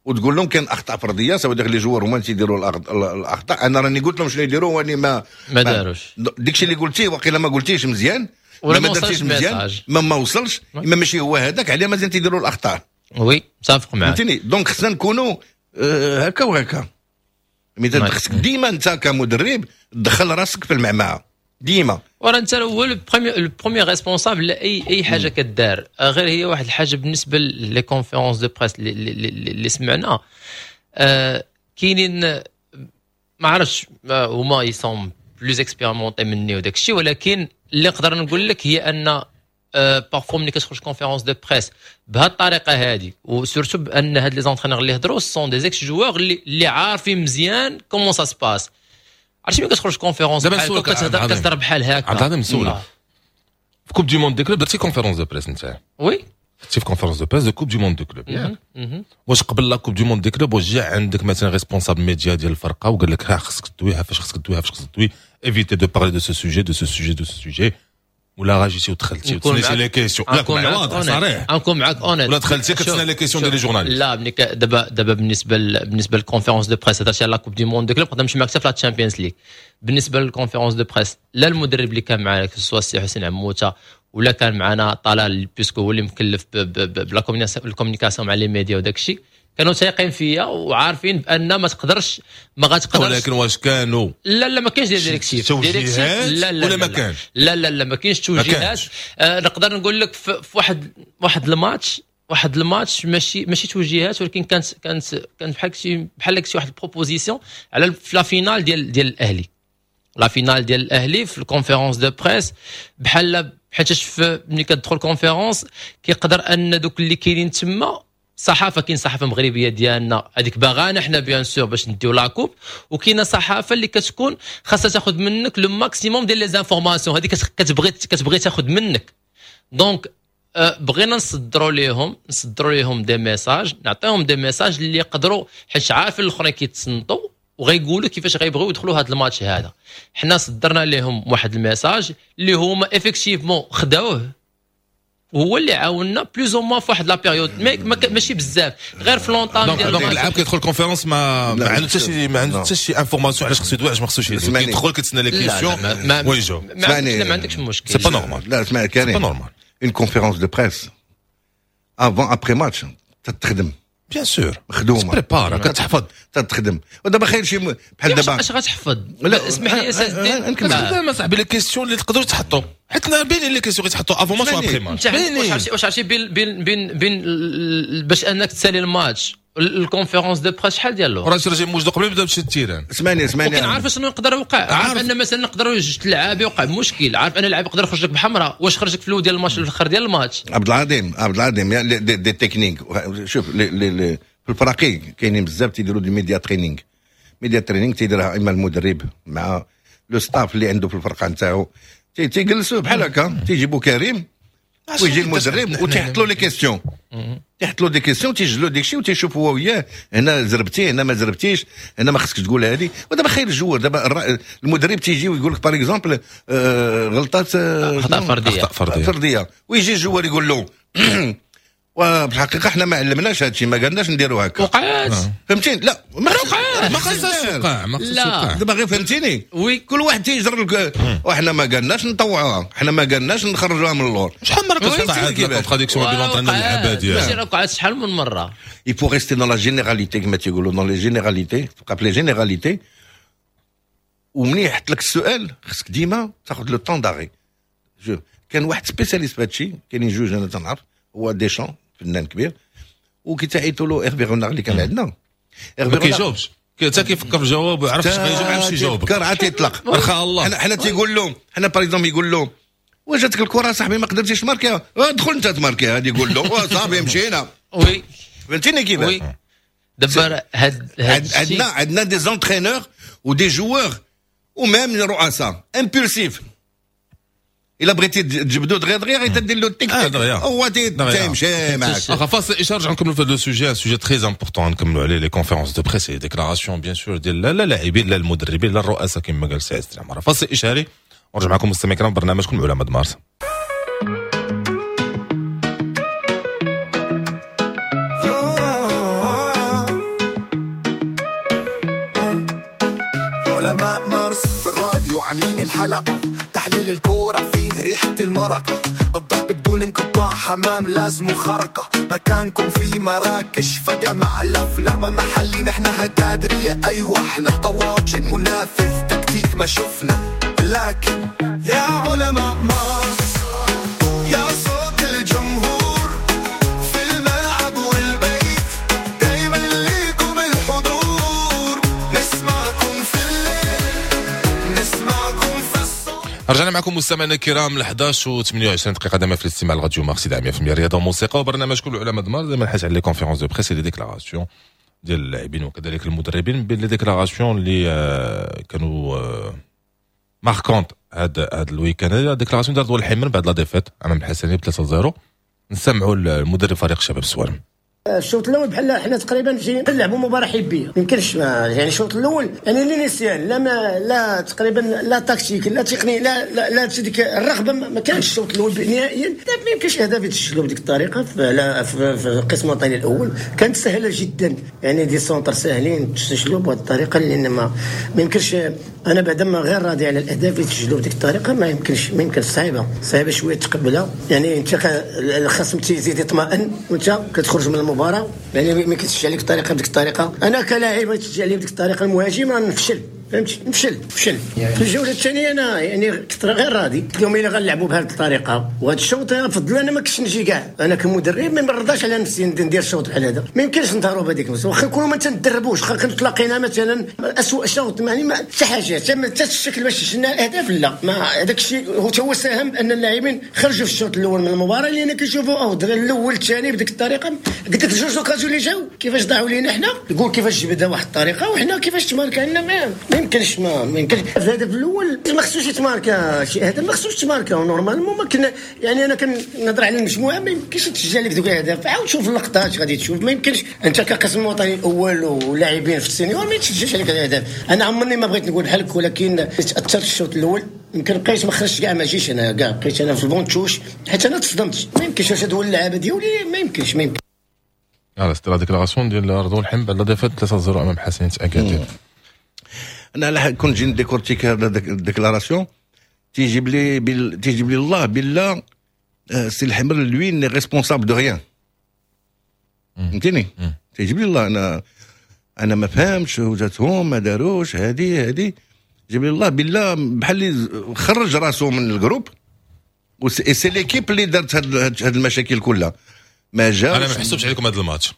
وتقول لهم كاين اخطاء فرديه، ça veut dire les joueurs هما اللي تيديروا الاخطاء. انا راني قلت لهم شنو يديروا واني ما ما داروش. داكشي اللي قلتيه وقيلا ما قلتيش مزيان. ولا ما ما درتيش وصلش مزيان. ال message. ما وصلش، اما ماشي هو هذاك، عليه مازال تيديروا الاخطاء. oui، متفق معك. فهمتيني؟ donc خصنا نكونوا هكا وهكا. mais خصك ديما انت كمدرب تدخل راسك في المعمعة ديما. وراه انت هو ال premier responsable لاي حاجة كدار. غير هي واحد الحاجة بالنسبة les conférences de presse اللي سمعنا، كاينين ما عرفتش هما ils sont plus expérimentés مني وداك الشيء، ولكن اللي نقدر نقول لك هي ان parfois ملي كتخرج conférence de presse بهذه الطريقة هذه، و surtout بان هاد les entraîneurs اللي هضروا sont des ex-joueurs اللي عارفين مزيان comment ça se passe، عرفتي؟ ملي كتخرج conférence دابا بحال نسولك هكا عبد كتهضر العظيم. كتهضر بحال هكا. عبد العظيم، نسولك. في Coupe du monde des clubs درتي conférence de presse انت؟ oui. كنتي في conférence de presse de Coupe du monde des clubs، ياك؟ مهم. واش قبل la Coupe du monde des clubs واش جا عندك مثلا responsable média ديال الفرقة وقال لك ها خصك تدوي، ها فاش خصك تدوي، ها فاش خصك تدوي، évitez de parler de ce sujet، de ce sujet، de ce sujet، ولا غا جيتي ودخلتي نكون وتسنيتي معاك les questions؟ لا نكون معاك واضح honnête. صريح. نكون معاك honnête. ولا دخلتي كتسنى les questions ديال les journalistes؟ لا، ملي دابا بالنسبه لل conférence de presse، هضرتي على la Coupe du monde des clubs، نقدر نمشي معاك حتى في la Champions League. بالنسبة لل conférence de presse، لا المدرب اللي كان معنا، سواء السي حسين عموتة ولا كان معنا طلال، puisque هو اللي مكلف ب la communication مع les médias وداك الشيء، كانوا تايقين فيا وعارفين بان ما تقدرش، ما غاتقدرش. ولكن واش كانوا لا لا، ما كاينش des directives. توجيهات لا لا ولا ما لا. كانش؟ لا لا لا، ما كاينش توجيهات. كانش. نقدر نقول لك في واحد الماتش ماشي توجيهات، ولكن كانت بحال شي واحد ال proposition على في la finale ديال الاهلي، la finale ديال الاهلي، في ال conférence de presse، بحال حيتاش ملي كتدخل conférence كيقدر ان دوك اللي كاينين تما صحافه، كاين صحافة مغربية ديالنا هذيك باغانا حنا bien sûr باش نديو la coupe، وكاينه صحافة اللي كتكون خاصها تاخذ منك le maximum ديال les informations، هذيك كتبغي تاخذ منك. donc بغينا نصدروا ليهم des messages، نعطيهم des messages اللي يقدروا، حيت عارفين الاخرين كيتصنتوا وغيقولوا كيفاش غيبغيو يدخلوا هذا الماتش هذا. حنا صدرنا لهم واحد ال message اللي هما effectivement خداوه. وهو اللي عاوننا plus ou moins في واحد la période، ماشي بزاف، غير في l'entame ديال donc اللاعب كيدخل conférence ما عنده حتى شي، ما عنده حتى شي information علاش خصو يدوي، علاش ما خصوش يدوي، كيدخل كيتسنى les questions ويجاوب. ما عندكش مشكل، c'est pas normal. لا اسمع كريم، c'est pas normal. une conférence de presse avant après match تتخدم، bien sûr مخدومة، prépare، كتحفظ، تتخدم. ودابا خير شي بحال دابا اش غتحفظ؟ لا اسمح لي اساس كتخدم اصاحبي les questions اللي تقدروا تحطوا، حيت باينين les questions غيتحطوا avant match و après match. واش عرفتي بين بين بين بين باش انك تسالي الماتش ال conférence de presse شحال ديال الوقت؟ راه راه موجود قبل ما يبدا بشي ال terrain. اسمعني اسمعني، ولكن عارف شنو يقدر يوقع، عارف ان مثلا نقدروا جوج لعاب يوقع مشكل، عارف ان اللاعب يقدر يخرج لك بحمراء، واش خرجك في الاول ديال الماتش ولا الاخر ديال الماتش؟ عبد العظيم عبد العظيم des techniques، شوف les في الفراقي كاينين بزاف تيديروا des media training. media training تيديرها اما المدرب مع le staff اللي عنده في الفرقة نتاعو، تيجلسوا بحال هكا، تيجيبوا كريم ويجي المدرب وتيحط له les questions، تيحط له des questions، تيجلو ديك الشيء وتيشوف هو وياه، هنا زربتي هنا ما زربتيش، هنا ما خصكش تقول هذه. ودابا خير ال joueur، دابا المدرب تيجي ويقول لك par exemple غلطات اخطاء فردية، فردية، ويجي ال joueur يقول له وبالحقيقة احنا ما علمناش هذا الشيء، ما قالناش نديروا هكا، وقعات. فهمتيني؟ لا ما خصهاش توقع، ما خصهاش توقع. دابا غير فهمتيني؟ oui، كل واحد تيجر لك، وحنا ما قالناش نطوعوها، حنا ما قالناش نخرجوها من اللور. شحال من مرة كتوقع هاد la contradiction بين l'entraîneur واللعابه ديالها؟ ماشي راه وقعت شحال من مرة. il faut rester dans la généralité كما تيقولوا، dans les généralités، تبقى في les généralités. ومني يحط لك السؤال خصك ديما تاخذ le temps d'arrêt. كان واحد spécialiste في هادشي، كاينين جوج انا تنعرف، هو ديشان فنان كبير، وكي تعيطوا له Hervé Renard اللي كان عندنا. ما كيجاوبش، حتى كيفكر في الجواب ويعرف اش غيجاوب، عرف شي يجاوب، كان عاد تيطلق. رخا الله. حنا تيقول له، حنا par exemple يقول له واش جاتك الكره صاحبي ما قدرتيش تماركيها، ادخل انت تماركيها، هذه يقول له صافي مشينا. oui فهمتيني كيفاش؟ oui دابا هاد عندنا des entraîneurs و des joueurs و même رؤساء impulsifs. الا بغيتي تجبدو دغيا دغيا غير تدير له تيك تيك هو تيمشي معاك. فاصل اشارة، نرجع نكملوا في هذا ال sujet، sujet très important نكملوا عليه les conférences de presse، les déclarations bien sûr ديال لا اللاعبين لا المدربين لا الرؤساء كما قال سي عز العمارة. فاصل اشاري ونرجع معكم مستمعين الكرام برنامجكم علماء مارس. علماء مارس في الراديو عاملين الحلقة، تحليل الكورة فيه ريحة المرق، الضرب بدون انقطاع، حمام لازم خرقة، مكانكم في مراكش فجأة مع الأفلام محلي، نحن هتادرية أيوة احنا طواجن منافذ تكتيك ما شفنا، لكن يا علماء مارس يا صوت الجمهور في الملعب والبيت، دايما ليكم الحضور، نسمعكم في الليل نسمعكم في الصبح. رجعنا معكم مستمعينا الكرام ل 11:28 دقيقة دائما في الاستماع لراديو مارس 100% رياضة وموسيقى وبرنامجكم العلماء دمار، دائما الحديث على les conférences de presse، les déclarations ديال اللاعبين وكذلك المدربين، بين les déclarations اللي كانوا marquantes هاد ال week-end، déclaration ديال رضوان الحمر بعد la défaite امام الحسنيه ب 3-0. نسمعوا المدرب فريق شباب السوالم. الشوط الاول بحال حنا تقريبا نلعبوا مباراة حبيه، ما يمكنش يعني الشوط الاول يعني l'initial لا ما لا تقريبا لا تكتيك لا تقني لا لا, لا ديك الرغبة ما كانش الشوط الاول نهائيا. ما يمكنش اهداف يتسجلوا بديك الطريقة في القسم الوطني الاول كانت سهلة جدا، يعني des centres ساهلين تسجلوا بهذه الطريقة، لان ما يمكنش. انا بعدا ما غير راضي على الاهداف اللي تسجلوا بديك الطريقة، ما يمكنش صعيبة شوية تقبلها، يعني انت الخصم تيزيد يطمئن وانت كتخرج من المباراة، يعني ما كتسجل عليك الطريقة بديك الطريقة. انا كلاعب تسجل علي بديك الطريقة المهاجم راه نفشل، فهمتي، نفشل في الجولة الثانية. انا يعني كنت غير راضي، قلت لهم الا غنلعبوا بهذه الطريقة وهذا الشوط فضل انا ما كنتش نجي كاع، انا كمدرب ما نرضاش على نفسي ندير الشوط بحال هذا، ما يمكنش نظهروا بهذيك المستوى، واخا نكونوا ما تندربوش، واخا تلاقينا مثلا اسوء شوط، يعني ما حتى حاجة حتى الشكل باش سجلنا الاهداف لا، ما هذاك الشيء هو ساهم ان اللاعبين خرجوا في الشوط الاول من المباراة، لان كيشوفوا الاول الثاني بديك الطريقة. قلت لك جوج occasions اللي جاو كيفاش ضاعوا لينا حنا، يقول كيفاش جبدها واحد الطريقة وحنا كيفاش تماركا لنا، ما يمكنش ما يمكنش. في الهدف الاول ما خصوش يتماركا شي هدف، ما خصوش يتماركا normalement، ما كنا يعني انا كنهضر على المجموعة، ما يمكنش تسجل لك دوك الاهداف. عاود شوف اللقطات غادي تشوف، ما يمكنش انت كقسم وطني الاول ولاعبين في ال seniors ما يتسجلش عليك الاهداف. انا عمرني ما بغيت نقول بحالك، ولكن تاثرت الشوط الاول يمكن بقيت ما خرجتش كاع، ما جيش انا كاع، بقيت انا في ال banc de touche حيت انا تصدمت. ما يمكنش واش هادو اللعابه ديالي، ما يمكنش ما يمكنش. voilà c'était la déclaration ديال رضوان الحمر بعد la défaite 3-0 امام حسنية اكادير. انا على كون نجي ن décortiquer هذا ال déclaration تيجيب لي تيجيب لي الله بالله سي الحمر lui n'est responsable de rien، فهمتيني؟ تيجيب لي الله انا ما فهمتش وجاتهم ما داروش هادي جيب لي الله بالله بحال اللي خرج راسو من ال groupe، c'est l'équipe اللي دارت هاد المشاكل كلها. ما جاش انا ما نحسبش عليكم هذا الماتش.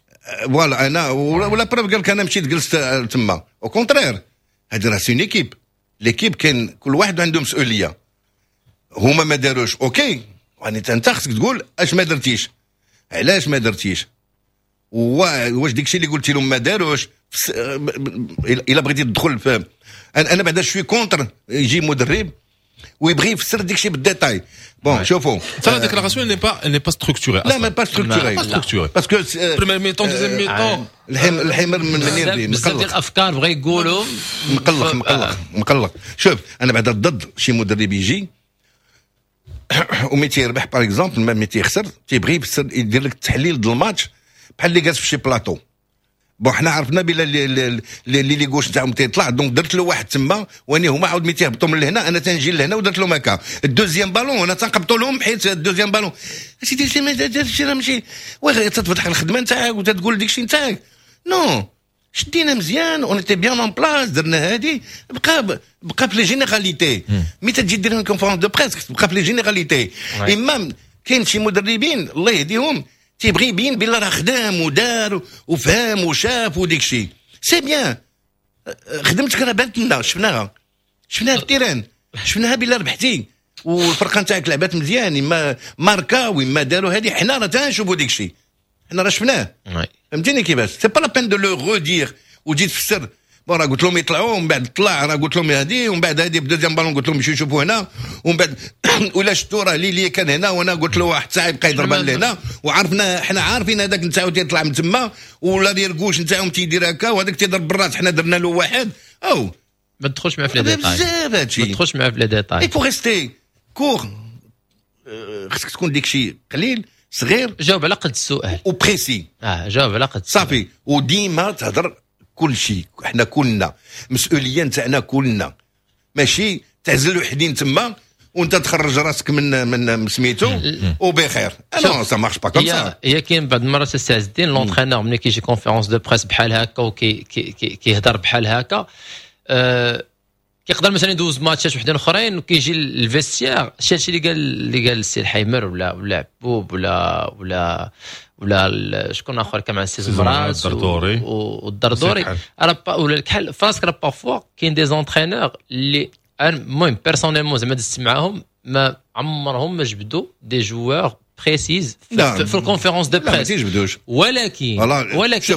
voilà انا ولا preuve قال لك انا مشيت جلست تما. au contraire هادي راه c'est une équipe، l'équipe كاين كل واحد عنده مسؤولية. هما ما داروش OK، يعني انت خصك تقول اش ما درتيش، علاش ما درتيش، واش داكشي اللي قلتي لهم ما داروش. الا بغيتي تدخل في انا بعدا je suis contre يجي مدرب ويبغي يفسر داكشي بال détail. bon شوفوا ça la déclaration n'est pas structurée. لا mais pas structurée pas structurée parce que première mi-temps deuxième mi-temps الحمر من منير بزاف ديال الافكار بغا يقولوا مقلق مقلق مقلق. شوف انا بعدا ضد شي مدرب يجي ومي تيربح par exemple ما تيخسر تيبغي يفسر يدير لك التحليل ديال الماتش بحال اللي جالس في شي plateau. bon حنا عرفنا بلا l'ailier gauche نتاعهم تيطلع، donc درت له واحد تما واني هما عاود ملي تيهبطوا من لهنا انا تنجي لهنا ودرت لهم هكا ال deuxième ballon انا تنقبطوا لهم حيت ال deuxième ballon سيدي سي راه ماشي واه تتفتح الخدمة نتاعك وتتقول داكشي نتاعك. non شدينا مزيان on était bien en place درنا هادي بقى في les généralités. mais تجي دير conférence de presse تبقى في les généralités. اما كاين شي مدربين الله يهديهم تيبغي يبين بلي راه خدام ودار وفهم وشاف وديك الشيء. c'est bien خدمتك راه بانت لنا، شفناها في ال terrain، شفناها بلا ربحتي والفرقة نتاعك لعبات مزيان، اما ماركا واما داروا هذه حنا راه تنشوفوا ديك الشيء، حنا راه شفناه. فهمتيني كيفاش؟ c'est pas la peine de le redire وتجي تفسر. bon راه قلت لهم يطلعوا ومن بعد طلع، راه قلت لهم هذه ومن بعد هذه ب deuxième ballon قلت لهم يمشيو يشوفوا هنا، ومن بعد ولا شفتوا راه l'ailier كان هنا وانا قلت له واحد الساعة يبقى يضربها لهنا، وعرفنا حنا عارفين هذاك نتاعو تيطلع من تما ولا دير gauche نتاعهم تيدير هكا وهذاك تيضرب بالراس حنا درنا له واحد. او ما تدخلش معاه في les détails بزاف هادشي، ما تدخلش معاه في les détails. il faut rester court، خصك تكون ديك شي قليل صغير، جاوب على قد السؤال و précis. جاوب على قد صافي، وديما تهضر كل شيء. حنا كلنا مسؤولية نتاعنا كلنا، ماشي تعزل وحدين تما وانت تخرج راسك من سميتو وبخير. non ça marche pas comme ça. هي كاين بعض المرات السي عز الدين l'entraîneur ملي كيجي conférence de presse بحال هكا وكيهضر بحال هكا كيقدر مثلا يدوز ماتشات وحدين اخرين وكيجي ال vestiaire شي هادشي اللي قال السي الحيمر ولا عبوب ولا ولا ولا شكون اخر كان مع السي زمرات والدردوري والدردوري راه ولا الكحل فراسك. راه parfois كاين des entraîneurs اللي المهم personnellement زعما دزت معاهم ما عمرهم ما جبدوا des joueurs précis في ال conférence de presse. لا ما تيجبدوش، ولكن ولكن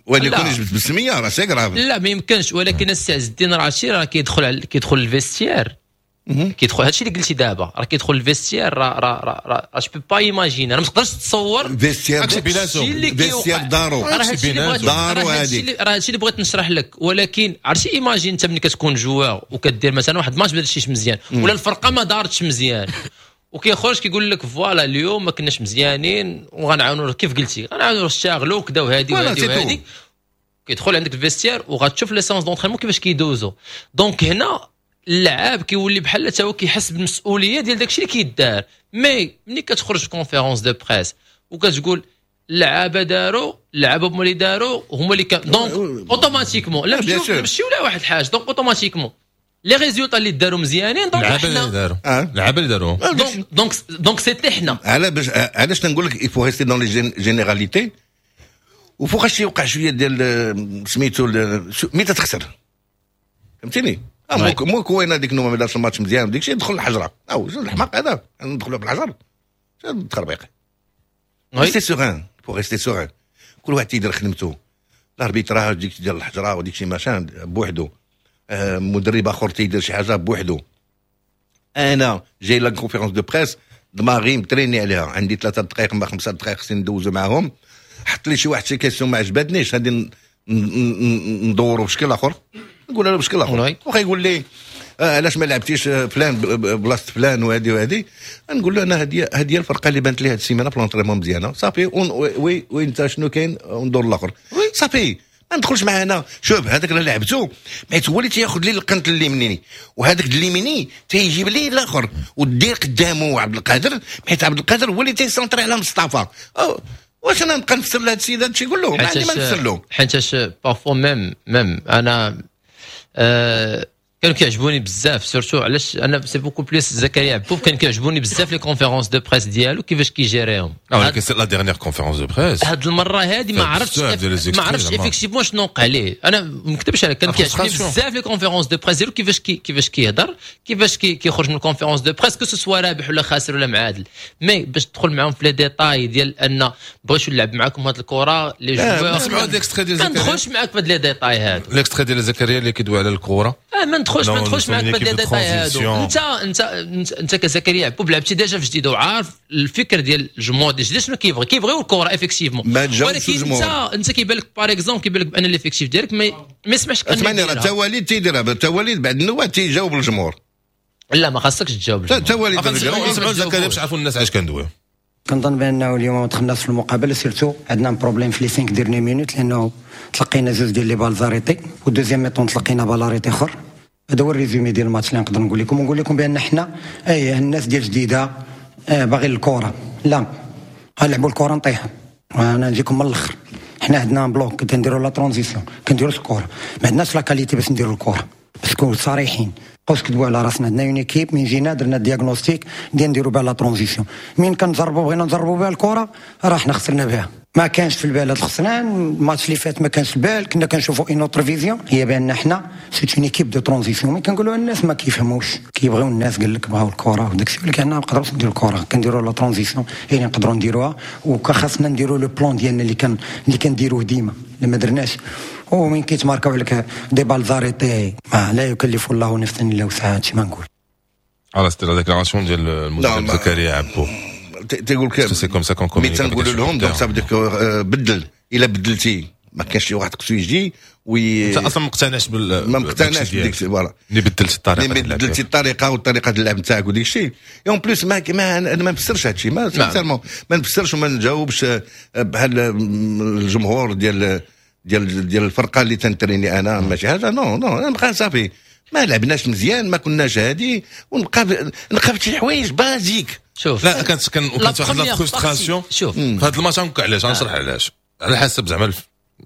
ولكن يجبد بالسميه راه c'est grave. لا ما يمكنش. ولكن السي عز الدين راه هادشي راه كيدخل ال vestiaire، كيدخل هادشي اللي قلتي دابا راه كيدخل ال vestiaire، راه راه راه je peux pas imaginer، راه ما تقدرش تصور vestiaire vestiaire دارو دارو هادي راه هادشي اللي بغيت نشرح لك. ولكن عرفتي imagine انت ملي كتكون joueur وكدير مثلا واحد ماتش ما درتيش مزيان ولا الفرقة ما دارتش مزيان وكيخرج كيقول لك voilà اليوم ما كناش مزيانين وغنعاونوا كيف قلتي غنعاونوا نشتغلوا وكذا وهادي وهادي وهادي، كيدخل عندك ال vestiaire وغتشوف les séances d'entraînement كيفاش كيدوزو. donc هنا اللاعب كيولي بحال حتى هو كيحس بالمسؤولية ديال داكشي اللي كيدار. mais ملي كتخرج في conférence de presse وكتقول اللعابه داروا، اللعابه هما اللي داروا هما اللي كان، donc automatiquement لا ماشي ولا واحد الحاجة، donc automatiquement les résultats اللي داروا مزيانين donc حنا اللعابه اللي داروا donc donc c'était حنا. علاش تنقول لك il faut rester dans les généralités وفوقاش يوقع شوية ديال سميتو mais تخسر، فهمتيني؟ مو كوينه ديك نوما ما دارش الماتش مزيان ديك الشيء دخل الحجرة او الحماق هذا ندخلوا بالحجر التخربيق. rester serein، faut rester serein، كل واحد تيدير خدمته. l'arbitrage ديك ديال الحجرة وديك شي machin بوحدو، مدرب اخر تيدير شي حاجة بوحدو. انا جاي la conférence de presse دماغي متريني عليها، عندي 3 دقائق ما 5 دقائق خصني ندوزو معاهم. حط لي شي واحد شي question ما عجبتنيش غادي ندورو بشكل اخر، نقول له بشكل اخر، واخا يقول لي علاش ما لعبتيش فلان بلاصة فلان وهذه وهذه، نقول له انا هذه هي الفرقة اللي بانت لي هذه السيمانة في l'entraînement مزيانه، صافي oui وانت شنو كاين، وندور الاخر صافي، ما ندخلش معاه انا. شوف هذاك اللي لعبته حيت هو اللي تياخذ لي القنت اليميني، وهذاك اليميني تيجيب لي الاخر، ودير قدامه عبد القادر، حيت عبد القادر هو اللي تيسونطري على مصطفى. واش انا نبقى نفسر لهذا السيد هذا الشيء؟ يقول له ما عندي ما نفسر له. حيتاش parfois même انا كانوا كيعجبوني بزاف، surtout علاش انا c'est beaucoup plus زكريا عبوب، كان كيعجبوني بزاف les conférences de presse ديالو كيفاش كيجيريهم. ولكن la dernière conférence de presse هاد المرة هادي ما عرفتش effectivement شنو وقع ليه. انا ما نكذبش عليك، كان كيعجبني بزاف les conférences de presse ديالو، كيفاش كيهضر، كيفاش كيخرج من ال conférence de presse، que ce soit رابح ولا خاسر ولا معادل، mais باش تدخل معاهم في les détails ديال ان بغيتو نلعب معاكم هاد الكره les joueurs، نسمعوا هاد l'extrait ديال ما ندخلش معاك في هاد les détails هادو. l'extrait ديال زكريا اللي كيدوي على الكره. ما ندخلش معاك في les détails هادو. انت كزكريا عبوب لعبتي déjà في جديد وعارف الفكر ديال الجمهور ديال جديد شنو كيبغي، كيبغيو الكره effectivement، ولكن انت كيبان لك par exemple، كيبان لك بان l'effectif ديالك ما يسمحش. اسمعني، راه حتى وليد تيديرها، حتى وليد بعد النوات تيجاوب الجمهور. لا، ما خاصكش تجاوب. حتى وليد. نسمعوا زكريا باش يعرفوا الناس علاش كندويو. كنظن بانه اليوم ما دخلناش في المقابله، surtout عندنا problème في les 5 dernières minutes، لانه تلقينا زوج ديال les balles arrêtées و deuxième mi-temps تلقينا balle arrêtée اخر. هذا هو ال résumé ديال الماتش اللي نقدر نقول لكم، ونقول لكم بان حنا اي الناس ديال جديدة باغي الكره، لا غنلعبوا الكره نطيحوا. انا نجيكم من الاخر، حنا عندنا bloc، كنديروا la transition، كنديروا الكره، ما عندناش la qualité باش نديروا الكره، باش نكونوا صريحين، بقاوش كذبوا على راسنا. عندنا une équipe من جينا درنا diagnostic ديال نديروا بها la transition، من كنجربوا بغينا نجربوا بها الكره راه حنا خسرنا بها. ما كانش في البال هذا الخسران الماتش اللي فات، ما كانش في البال، كنا كنشوفوا une autre vision، هي بان حنا c'est une équipe de transition. mais كنقولوا الناس ما كيفهموش، كيبغيو الناس قال لك بغاو الكره وداك الشيء، ولكن حنا ما نقدروش نديروا الكره، كنديروا la transition هي اللي نقدروا نديروها، وخاصنا نديروا le plan ديالنا اللي كنديروه ديما اللي ما درناش. ومن كيتماركاو عليك des balles arrêtées، ما لا يكلف الله نفسا الا وسعها، هادشي ما نقول. على c'était la déclaration ديال المدرب زكريا عبو. تيقول لك c'est comme ça qu'on mais تنقولوا لهم donc ça veut dire بدل، الا بدلتي ما كانش شي واحد خصو يجي وي انت اصلا ما مقتنعش بال ما مقتنعش بديك، voilà. اللي بدلت الطريقه. اللي بدلتي الطريقة وطريقه اللعب نتاعك وديك الشيء. en plus ما انا ما نفسرش هذا الشيء، ما sincèrement ما نفسرش وما نجاوبش بحال الجمهور ديال الفرقة اللي تنتريني انا، ماشي هذا. non non، نبقى صافي، ما لعبناش مزيان، ما كناش هادي، ونبقى نبقى في شي حوايج basiques. شوف. لا، كانت واحد la frustration. شوف. في هذا الماتش علاش غنشرح علاش، على حسب زعما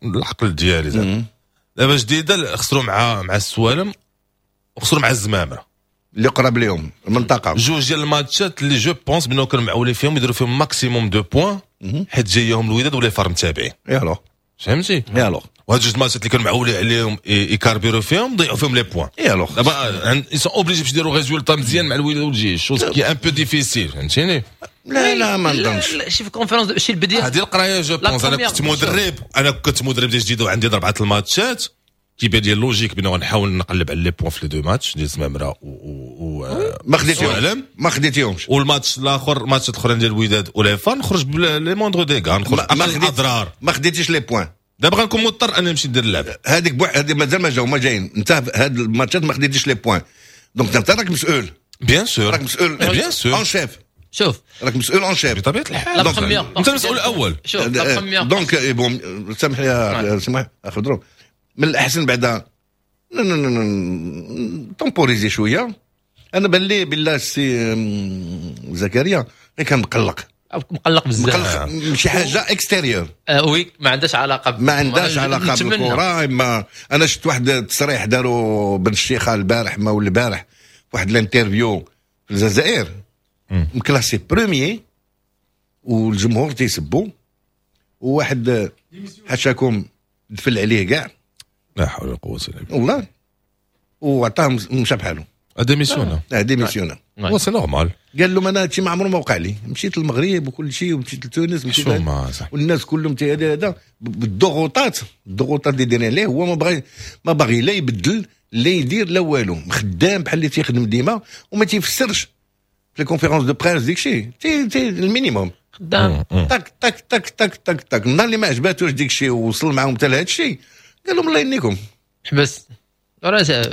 العقل ديالي زعما. دابا جديدة خسروا مع السوالم وخسروا مع الزمامره. اللي قرب لهم المنطقه. جوج ديال الماتشات اللي je pense بانه كانوا معولين فيهم يديروا فيهم maximum de points، حيت جايهم الوداد ولا FAR متابعين. يالو. فهمتي؟ يالو. وهاد جوج الماتشات اللي كانوا معولين عليهم يكاربيرو فيهم، ضيعوا فيهم les points. يالو. دابا ils sont obligés باش يديروا résultat مزيان مع الوداد والجيش، chose qui est un peu difficile، فهمتيني؟ لا لا، ما نظنش. شي في conférence شي البديه. هذه القراية je pense. انا كنت مدرب ديال جديد وعندي اربعة الماتشات، كيبان لي logique بانه غنحاول نقلب على les points في les deux matchs ديال زمامرة و ما خديتيهمش، ما خديتيهمش. والماتش الاخر، الماتش الاخرين ديال الوداد ولا FAR، نخرج ب les moindres dégâts، نخرج ما الاضرار. ما خديتيش les points. دابا غنكون مضطر اني نمشي ندير اللعب. هذيك هذه مازال ما جاو، ما جايين. انت هاد الماتشات ما خديتيش les points، donc انت راك مسؤول. bien sûr. راك مسؤول. bien sûr. en chef. شوف. راك مسؤول en chef. بطبيعة الحال، انت المسؤول الاول. شوف. donc bon، سامح لي، سامح خضرو، من الاحسن بعدا temporiser شويه. انا بان لي بالله السي زكريا غير كان مقلق. مقلق بزاف. مقلق من شي حاجة extérieure. Oui، ما عندهاش علاقه. ما عندهاش علاقة بالكره. اما انا شفت واحد التصريح داروا بن الشيخه البارح ما ولا البارح، واحد l'interview في الجزائر، مكلاسي premier والجمهور تيسبو، وواحد حاشاكم دفل عليه كاع. لا حول ولا قوة الا بالله. والله وعطاه مشى بحالو. démissionna. démissionna. c'est normal. قال لهم انا هادشي ما عمره ما وقع لي، مشيت للمغرب وكل شيء ومشيت لتونس، مشيت والناس كلهم هذا بالضغوطات، الضغوطات اللي دايرين عليه، هو ما باغي لا يبدل لا يدير لا والو، خدام بحال اللي تيخدم ديما وما تيفسرش في les conférences de presse ديك الشيء تي تي ال minimum. خدام. تاك تاك تاك تاك تاك تاك. النهار اللي ما عجباتوش ديك الشيء ووصل معاهم حتى لهذا الشيء، قال لهم الله يهنيكم. حبس.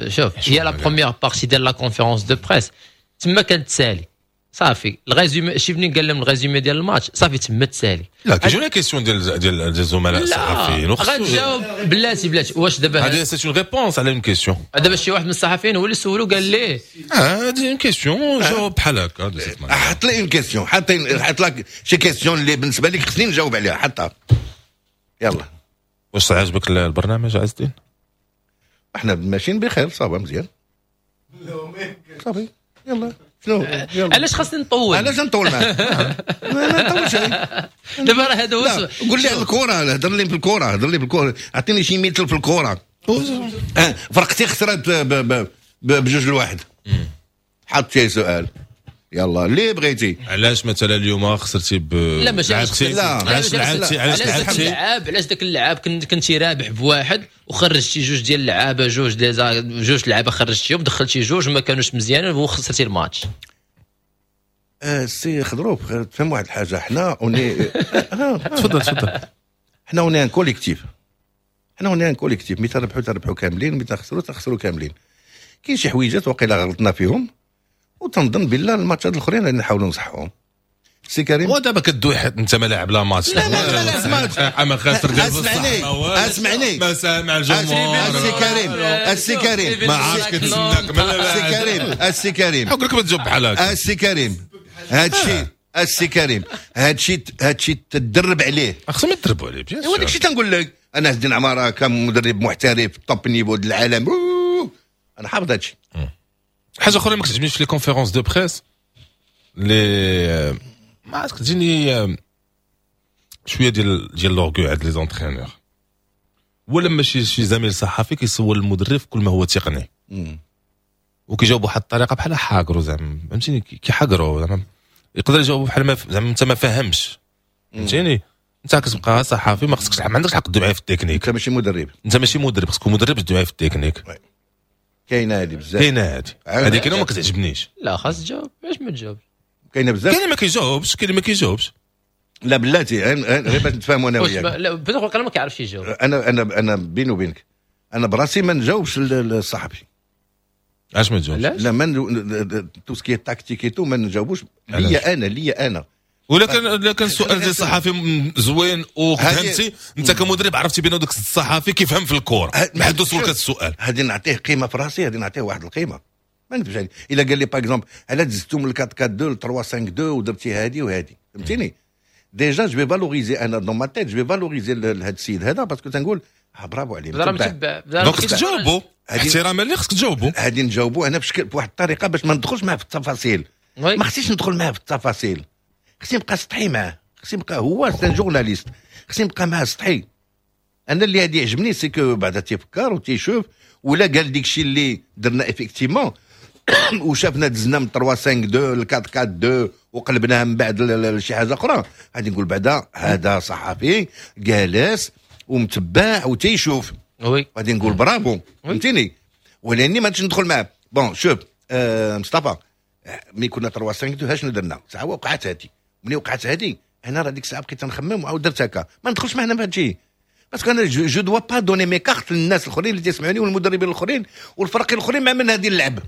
شوف هي la première partie ديال la conférence de presse تما كانت تسالي صافي. ال résumé شي منين قال لهم ال résumé ديال الماتش صافي تما تسالي. لا كيجيو les questions ديال الزملاء الصحفيين غتجاوب بلاتي بلاتي. واش دابا هذه c'est une réponse على une question؟ دابا شي واحد من الصحفيين هو اللي سولو قال ليه هذه une question، جاوب بحال هكا. حط لي une question، حط لك شي question اللي بالنسبة لك خصني نجاوب عليها، حطها يلا. واش عجبك البرنامج عز الدين؟ احنا ماشيين بخير، ça va مزيان صافي. يلا شنو؟ علاش خاصني نطول؟ علاش نطول معاك؟ ما نطولش. دابا راه هذا هو. قول لي على الكره، هضر لي في الكره، هضر لي في الكره، اعطيني شي مثل في الكره. فرقتي خسرت ب2-1، حط شي سؤال يلا اللي بغيتي. علاش مثلا اليوم خسرتي ب لا ماشي علاش لعبتي، علاش لعبتي اللعاب، علاش داك اللعاب كنتي رابح بواحد وخرجتي جوج ديال اللعابه، جوج لعابه خرجتيهم دخلتي جوج ما كانوش مزيانين وخسرتي الماتش. سي خضروف تفهم واحد الحاجة، حنا on est تفضل تفضل. حنا on est un collectif، حنا on est un collectif، ملي تربحوا تربحوا كاملين، ملي تخسروا تخسروا كاملين. كاين شي حويجات وقيلا غلطنا فيهم وتنظن بالله الماتشات الاخرين غادي نحاولوا نصحوهم. سي كريم ودابا كدوي حيت انت ما لاعب لا ماتش. لا لا لا ماتش اما خاسر ديال بصح. اسمعني ما سامع الجمهور. السي كريم، السي كريم ما عرفتش كتسناك. السي كريم، السي كريم حق لك ما تجاوب بحال هكا. السي كريم هادشي، السي كريم هادشي تدرب عليه، خصهم يتدربوا عليه bien sûr. وداك الشيء تنقول لك انا عز الدين عمارة كمدرب محترف top niveau ديال العالم، انا حافظ هادشي. حاجة اخرى ما كتعجبنيش في les conférences de presse لي ما عرفت كتجيني شوية ديال l'orgueil عند les entraîneurs، ولا ماشي شي زميل صحفي كيسول المدرب كل ما هو تقني وكيجاوب بواحد الطريقة بحال حاقرو زعما، فهمتيني؟ كيحاقرو زعما، يقدر يجاوب بحال ما زعما انت ما فاهمش، فهمتيني؟ انت كتبقى صحفي ما خصكش، ما عندكش الحق تدوي معايا في التكنيك. انت ماشي مدرب، انت ماشي مدرب، خصك مدرب تدوي معايا في التكنيك. كاينه هذه بزاف، كاينه هذه كاينه ما كتعجبنيش. لا خاص تجاوب، علاش ما تجاوبش؟ كاينه بزاف، كاين ما كيجاوبش، كاين ما كيجاوبش. لا بلاتي غير باش نتفاهموا انا وياك. لا بدوك ما كيعرفش يجاوب. انا انا انا بيني وبينك انا براسي ما نجاوبش الصحفي. علاش ما تجاوبش؟ لا ما tout ce qui est tactique et tout ما نجاوبوش ليا انا، ليا انا. ولا كان كان سؤال ديال الصحفي زوين وفهمتي انت كمدرب عرفتي بان داك الصحفي كيفهم في الكورة، ما حدو سولك هذا السؤال. هادي نعطيه قيمة في راسي، هادي نعطيه واحد القيمة ما نكذبش عليك. الا قال لي par exemple علاش زدتو من 4 4 2 ل 3 5 2 ودرتي هادي وهادي، فهمتيني؟ déjà je vais valoriser انا dans ma tête، je vais valoriser هاد السيد هذا parce que تنقول برافو عليه. donc خصك تجاوبو احتراما ليه، خصك تجاوبو. هادي نجاوبو انا بشكل بواحد الطريقة باش ما ندخلش معاه في التفاصيل. ما خصنيش ندخل معاه في التفاصيل، خصني نبقى سطحي معاه، خصني نبقى هو c'est un journaliste، خصني نبقى معاه سطحي. انا اللي هادي يعجبني c'est que بعدا تيفكر وتيشوف ولا قال ديك الشيء اللي درنا effectivement وشافنا دزنا من 3 5 2 ل 4 4 2 وقلبناها من بعد لشي حاجة اخرى، غادي نقول بعدا هذا صحفي جالس ومتبع وتيشوف، oui غادي نقول برافو، فهمتيني؟ ولاني ما نمشيش ندخل معاه. bon شوف مصطفى، ملي كنا 3 5 2 شنو درنا؟ ساعة وقعت هادي، ملي وقعت هادي انا راه ديك الساعة بقيت نخمم وعاود درت هكا، ما ندخلش معنا في هادشي parce que انا je dois pas donner mes cartes للناس الاخرين اللي تيسمعوني والمدربين الاخرين والفرق الاخرين مع من هادي اللعب.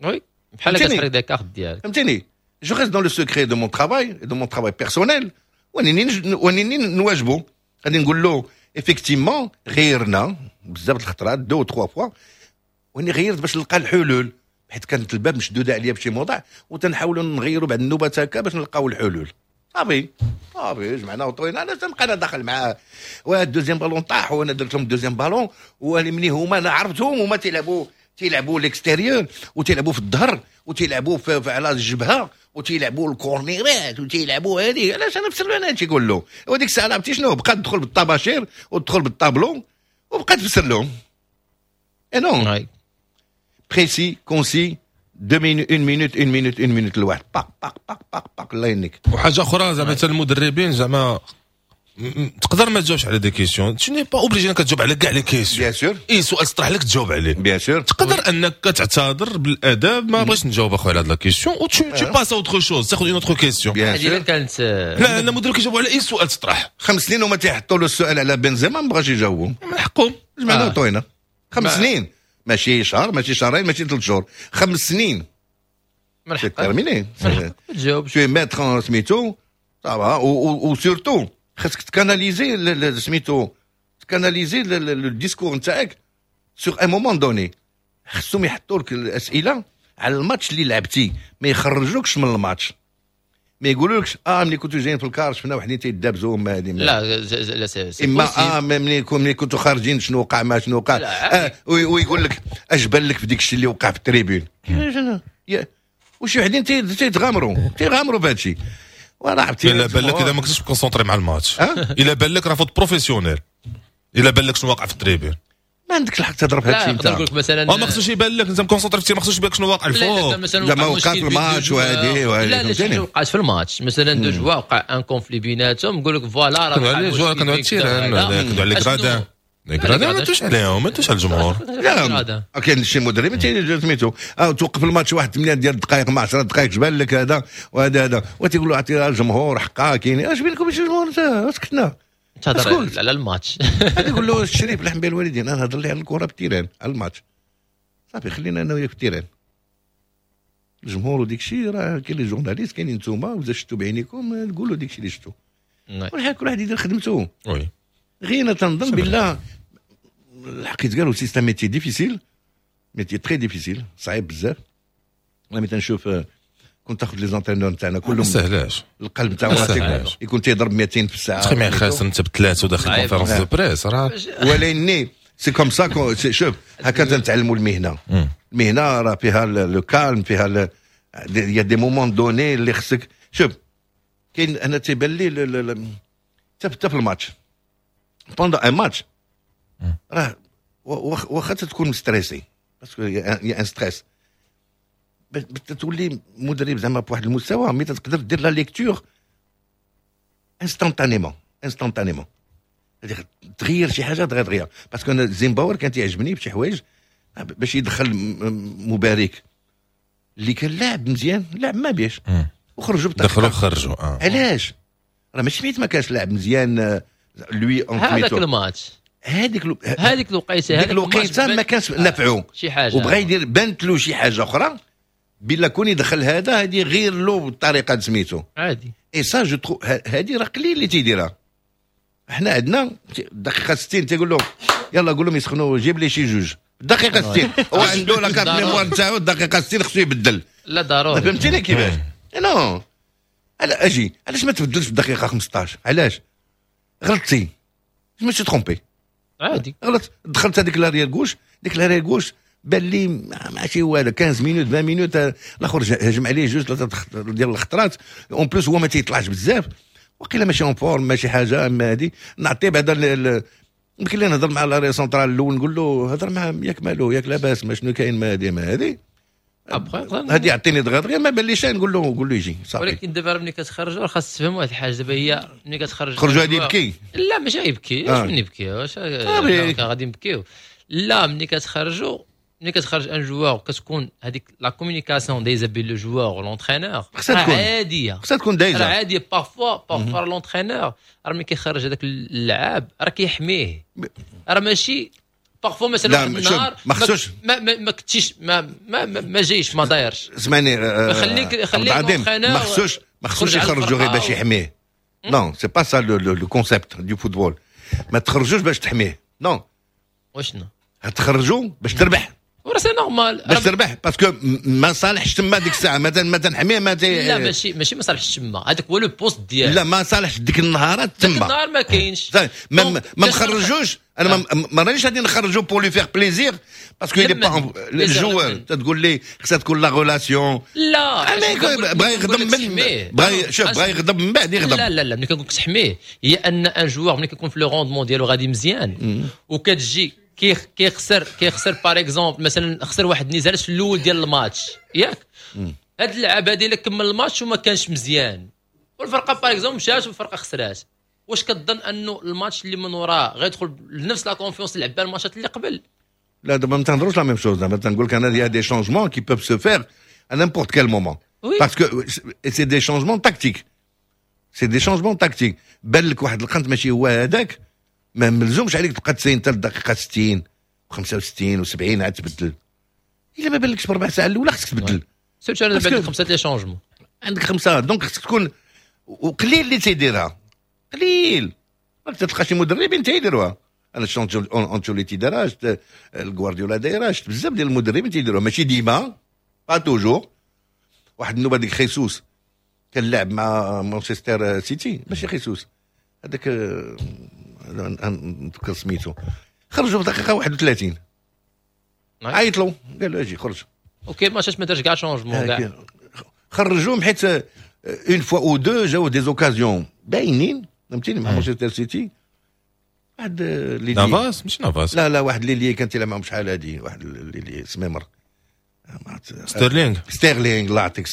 oui بحال كتحرق des cartes ديالك، فهمتيني؟ je reste dans le secret de mon travail، de mon travail personnel، ونيني نواجبو. غادي نقول له effectivement غيرنا بزاف الخطرات 2 3 fois، واني غيرت باش نلقى الحلول، حيت كانت الباب مشدودة عليا بشي موضع وتنحاولوا نغيروا بعد النوبات هكا باش نلقاو الحلول. صافي صافي جمعنا وطوينا، انا تنبقى انا داخل معاه وهاد deuxième ballon طاح وانا درت لهم deuxième ballon، ومني هما انا عرفتهم هما تيلعبوا l'extérieur وتيلعبوا في الظهر وتيلعبوا على الجبهة وتيلعبوا الكورنيرات وتيلعبوا هذه. علاش انا نفسر له انا هادشي كله؟ وديك الساعة عرفتي شنو؟ بقى تدخل بالطباشير وتدخل بالطابلو وبقى تفسر لهم. et non précis concis 2 minutes 1 minute 1 minute 1 minute الواحد باق باق باق باق باق الله يهنيك. وحاجه اخرى زعما حتى المدربين زعما تقدر ما تجاوبش على des questions، tu n'es pas obligé انك تجاوب على كاع les questions. bien sûr اي سؤال طرح لك تجاوب عليه، bien sûr تقدر انك تعتذر بالاداب، ما بغيتش نجاوب اخويا على هاد la question و tu passes à autre chose، تاخذ une autre question. هذه كانت لا انا المدرب كيجاوبوا على اي سؤال تطرح. 5 سنين وما تيحطوا له السؤال على بنزيما ما بغاش يجاوبوا، من حقهم. جمعنا وطوينا 5 سنين ماشي شهر، ماشي شهرين، ماشي 3 شهور، 5 سنين. c'est terminé. تجاوب. tu es maître سميتو طبعا، و surtout خاصك ت canaliser سميتو، ت canaliser le discours نتاعك sur un moment donné. خصهم يحطوا لك الاسئلة على الماتش اللي لعبتي، ما يخرجوكش من الماتش، ما يقولولكش ملي كنتو جايين في ال car شفنا وحدين تيدابزوا ما هذه. لا لا، c'est اما ملي كنتو خارجين شنو وقع، ما شنو وقع، ويقول لك اش بان لك في ديك الشيء اللي وقع في ال tribune. وشي وحدين تيتغامروا تيغامروا بهذا الشيء. وراه عرفتي. الا بان لك اذا ما كنتش concentré مع الماتش، الا بان لك راه faute professionnelle، الا بان لك شنو واقع في ال tribune. ما عندكش الحق تهضر في هذا الشيء. انت نقول لك مثلا ما خصوش يبان لك انت م concentré في، ما خصوش يبان لك شنو واقع الفوق. مثلا لا، ما وقع في الماتش وهذه وهذه. لا لا، شنو وقعت في الماتش؟ مثلا deux joueurs وقع un conflit بيناتهم، نقول لك voilà راه كانوا على les joueurs، كانوا على ال terrain، كانوا على les gradins. les gradins ما توش عليهم، ما توش على الجمهور. لا، كاين شي مدرب سميتو توقف الماتش واحد 8 ديال الدقائق مع 10 دقائق، جبان لك هذا وهذا هذا، وتيقول له اعطي الجمهور حقا. كاين اش بينكم الجمهور؟ سكتنا. تهضر على الماتش. هذا يقول له الشريف لحم بين الوالدين، انا نهضر لي على الكره في ال terrain، على الماتش، صافي، خلينا انا وياك في ال terrain. الجمهور وديك الشيء راه كاين les journalistes، كاينين نتوما، واذا شفتوا بعينيكم تقولوا ديك الشيء اللي شفتوا. كل واحد يدير خدمته. غير انا تنظن بالله الحق يتقالوا c'est un métier difficile، métier très difficile، صعيب بزاف. انا ملي تنشوف كنت تاخذ les entraîneurs نتاعنا كلهم سهلاش. القلب تاعو يكون تيضرب 200 في الساعه. تخي خاسر انت بثلاثة وداخل conférence de presse راه ولكن c'est comme ça، شوف، هكا تنتعلموا المهنه. المهنة راه فيها le calme، فيها y a des moments donnés اللي خصك، شوف، كاين انا تيبان لي حتى في الماتش، pendant un match راه واخا تكون stressé، parce que y a un stress، تولي مدرب زعما بواحد المستوى mais تقدر دير la lecture instantanément، instantanément تغير شي حاجة دغيا دغيا. parce que انا زينباور كان تيعجبني بشي حوايج، باش يدخل مبارك اللي كان لاعب مزيان، لاعب ما بيش، وخرجوا. دخلوا خرجوا. علاش؟ راه ماشي ميت ما كانش لاعب مزيان lui. هذاك الماتش. هذيك هذيك الوقيته. هذيك الوقيته ما كانش نفعو شي حاجه. وبغى يدير، بانت له شي حاجة اخرى بلا كون يدخل هذا، هذه غير له بالطريقة سميتو. عادي. et ça je trouve هذه راه قليل اللي تيديرها. احنا عندنا الدقيقة 60 تيقول له يلا قول لهم يسخنوا، جيب لي شي جوج. الدقيقة 60 هو عنده la carte mémoire نتاعو، الدقيقة 60 خصو يبدل. لا، ضروري. فهمتيني كيفاش؟ non، اجي علاش ما تبدلش في الدقيقة 15؟ علاش؟ غلطتي، je me suis trompé. عادي. غلط، دخلت هذيك l'arrière gauche، ديك l'arrière gauche بان لي ماشي هو هذا. 15 minutes، 20 minutes، الاخر هجم عليه جوج ثلاثة ديال الخطرات. en plus هو ما تيطلعش بزاف، وقيلا ماشي en forme، ماشي حاجه. اما هذه نعطيه بعدا، يمكن لي نهضر مع l'arrière central الاول، نقول له هضر مع، ياك مالو، ياك لاباس، ما شنو كاين، ما هذه ما هذه. هذه يعطيني دغيا دغيا، ما باليش، نقول له قول له يجي، صافي. ولكن دابا ملي كتخرج خاص تفهم واحد الحاجه، دابا هي ملي كتخرج خرجوا هذه يبكي. لا، ماشي يبكي، اش من يبكي؟ واش غادي نبكيو؟ لا، ملي كتخرجوا، ملي كتخرج un joueur كتكون هذيك la communication دايزه بين le joueur و l'entraîneur. خصها تكون عاديه. خصها تكون دايزه. عاديه. parfois l'entraîneur راه ملي كيخرج هذاك اللاعب راه كيحميه، راه ماشي parfois مثلا واحد النهار ما خصوش ما كنتيش ما جايش، ما دايرش. اسمعني. خليك ما خصوش يخرجوا غير باش يحميه. non، c'est pas ça le concept du football. ما تخرجوش باش تحميه، non. وشنو؟ تخرجوا باش تربح. وراه c'est normal. باش تربح، parce que ما صالحش تما ديك الساعه، ما تنحميه ما لا، ماشي ما صالحش تما، هذاك هو le poste ديالو. لا، ما صالحش ديك النهارات تما. ديك النهار ما كاينش. ما مخرجوش، انا ما رانيش غادي نخرجو pour lui faire plaisir، parce que il est pas le joueur. تقول لي خصها تكون la relation. لا. بغا يغضب من بغا، شوف، بغا يغضب من بعد يغضب. لا لا لا، ملي كنقول لك تحميه هي ان un joueur ملي كيكون في le rendement ديالو غادي مزيان وكتجي كيخسر، par exemple مثلا خسر واحد النزال في الاول ديال الماتش، ياك؟ هاد اللعاب هادي الا كمل الماتش وما كانش مزيان والفرقة par exemple مشات والفرقة خسرات، واش كتظن انه الماتش اللي من وراه غيدخل بنفس la confiance اللي لعب الماتشات اللي قبل؟ لا، دابا ما تنهضروش la même chose. دابا تنقول لك انا y a des changements qui peuvent se faire à n'importe quel moment، parce que c'est des changements tactiques، c'est des changements tactiques. بان لك واحد القنت ماشي هو هذاك، ما ملزومش عليك تبقى تسين حتى الدقيقة 60. 65 و70 عاد تبدل. الا ما بالكش بربع ساعة الاولى خصك تبدل. surtout انا دابا عندك 5 les changements، عندك 5، donc خصك تكون، وقليل اللي تيديرها، قليل راك تلقى شي مدربين تيديروها. انا شفت انشيلوتي دارها، شفت الغوارديولا دايرها، شفت بزاف ديال المدربين تيديروها، ماشي ديما، pas toujours. واحد النوبة ديك خيسوس كان لعب مع مانشستر سيتي، ماشي خيسوس هذاك، نتذكر سميتو، خرجوا في دقيقة 31، عيط له قال له اجي خرج. OK، ماتش ما دارش كاع changement كاع. خرجوهم حيت une fois ou deux جاو des occasions باينين، فهمتيني، مع مانشستر سيتي. واحد اللي نافاس، مش نافاس؟ لا لا، واحد اللي كان تيلعب معاهم شحال هادي، واحد اللي سميمر. ستيرلينغ. ستيرلينغ، الله يعطيك،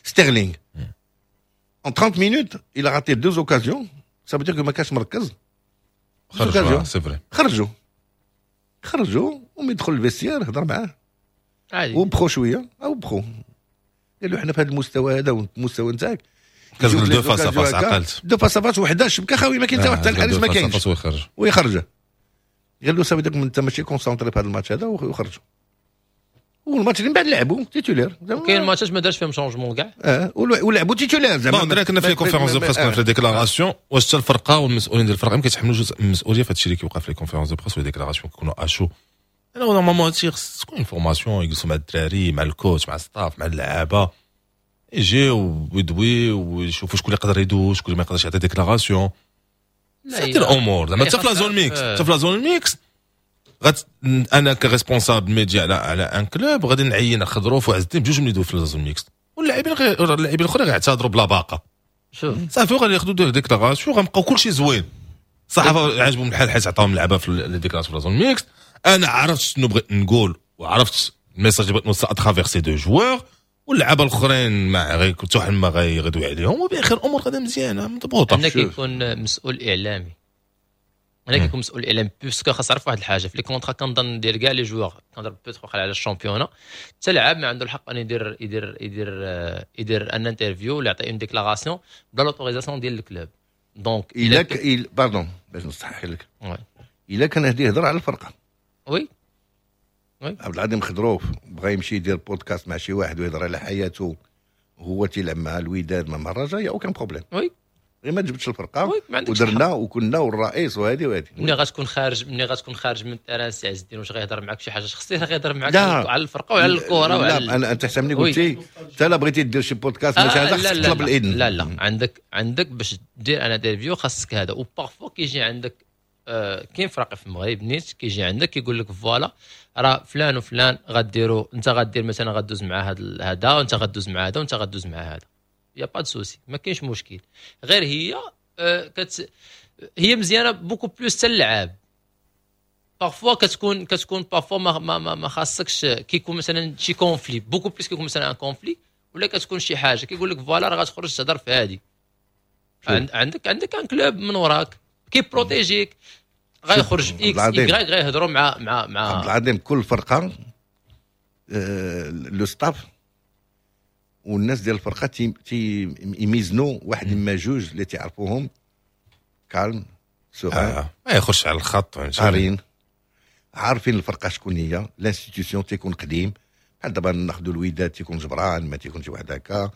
ستيرلينغ en 30 minutes il a raté deux occasions، ça veut dire que ما كانش مركز. خرجوا، c'est vrai. خرجوا خرجوا، ومن يدخل ال vestiaire هضر معاه عادي وبخو شوية او بخو، قال له حنا في هذا المستوى هذا والمستوى نتاعك. كتقول deux face à face، عقلت. deux face à face، وحده الشبكة خاوية، ما كاين حتى واحد، الحارس ما كاينش. ويخرج. ويخرجه، قال له صافي داك انت ماشي concentré في هذا الماتش هذا، وخرجوا، والماتش اللي من بعد لعبوا titulaire. كاين ماتشات ما دارش فيهم changement كاع. اه، ولعبوا titulaire زعما. bon درا كنا في conférence de presse، كنا في déclarations، واش حتى الفرقة والمسؤولين ديال الفرقة ما كيتحملوش جزء من المسؤولية في هادشي اللي كيوقع في les conférences de presse و déclarations كيكونوا à chaud؟ انا normalement هادشي خص تكون formation، يجلسوا مع الدراري، مع ال coach، مع staff، مع اللعابه، يجيو ويدويو ويشوفوا شكون اللي يقدر يدوز، شكون اللي ما يقدرش يعطي déclaration. c'est الامور زعما حتى في la zone mixte، حتى في la zone mixte غات انا ك responsable média على un club غادي نعين خضروف وعز الدين بجوج من يدوي في la zone mixte، واللاعبين غير اللاعبين الاخرين غيعتذروا بلا باقه. شوف. صافي، غادي ياخذوا des déclarations، غنبقاو كلشي زوين. الصحافة عجبهم الحال حيت عطاهم اللعبة في les déclarations في la zone mixte. انا عرفت شنو بغيت نقول وعرفت ال message اللي بغيت نوصل à travers ces deux joueurs، واللعابه الاخرين ما غير حتى واحد ما غيدوي عليهم، وباخر الامور غادا مزيانه مضبوطه. هنا كيكون مسؤول اعلامي، هنا كيكون مسؤول اعلامي، parce que خاص تعرف واحد الحاجة في les contrats كنظن ديال كاع les joueurs، كنهضر peut-être على ال championnat، حتى لاعب ما عنده الحق ان يدير une interview ولا يعطي une déclaration بلا l'autorisation ديال ال club، donc الا pardon باش نصحح لك، الا كان هدي يهضر على الفرقه. oui. عبد العظيم خضروف بغى يمشي يدير بودكاست مع شي واحد ويهضر على حياته، هو تيلعب مع الوداد مع الرجاء، y a aucun problème. غير ما تجبدش الفرقه. oui، ما عندكش. ودرنا وكنا والرئيس وهذه وهذه. ملي غتكون خارج من ال terrain، سي عز الدين، واش غيهضر معاك شي حاجة شخصيه؟ غيهضر معاك لا. على الفرقة وعلى الكره وعلى لا، انا انت حسبني قلتي انت لا بغيتي دير شي بودكاست ماشي هذا، خصك تطلب الاذن. لا لا، عندك باش دير une interview خاصك هذا، و parfois كيجي عندك كاين فرق في المغرب نيت كيجي عندك كيقول لك voilà راه فلان وفلان غديروا، انت غدير مثلا غدوز مع هذا هذا، وانت غدوز مع هذا، وانت غدوز مع هذا، y a pas de souci، ما كاينش مشكل. غير هي هي مزيانه beaucoup plus حتى اللعاب. parfois كتكون parfois ما خاصكش، كيكون مثلا شي conflit، beaucoup plus كيكون مثلا un conflit ولا كتكون شي حاجه، كيقول لك voilà راه غتخرج تهضر في هذه، عندك un club من وراك كي protéger ك، غيخرج X Y غيهضروا مع عبد العظيم، كل فرقه le staff والناس ديال الفرقة تي يميزنوا واحد اما جوج اللي تعرفوهم calmes sereins. ما يخرجش على الخط. قارين، عارفين الفرقة شكون هي، l'institution، تيكون قديم. بحال دابا ناخذوا الوداد، تيكون جبران، ما تيكون شي واحد هكا،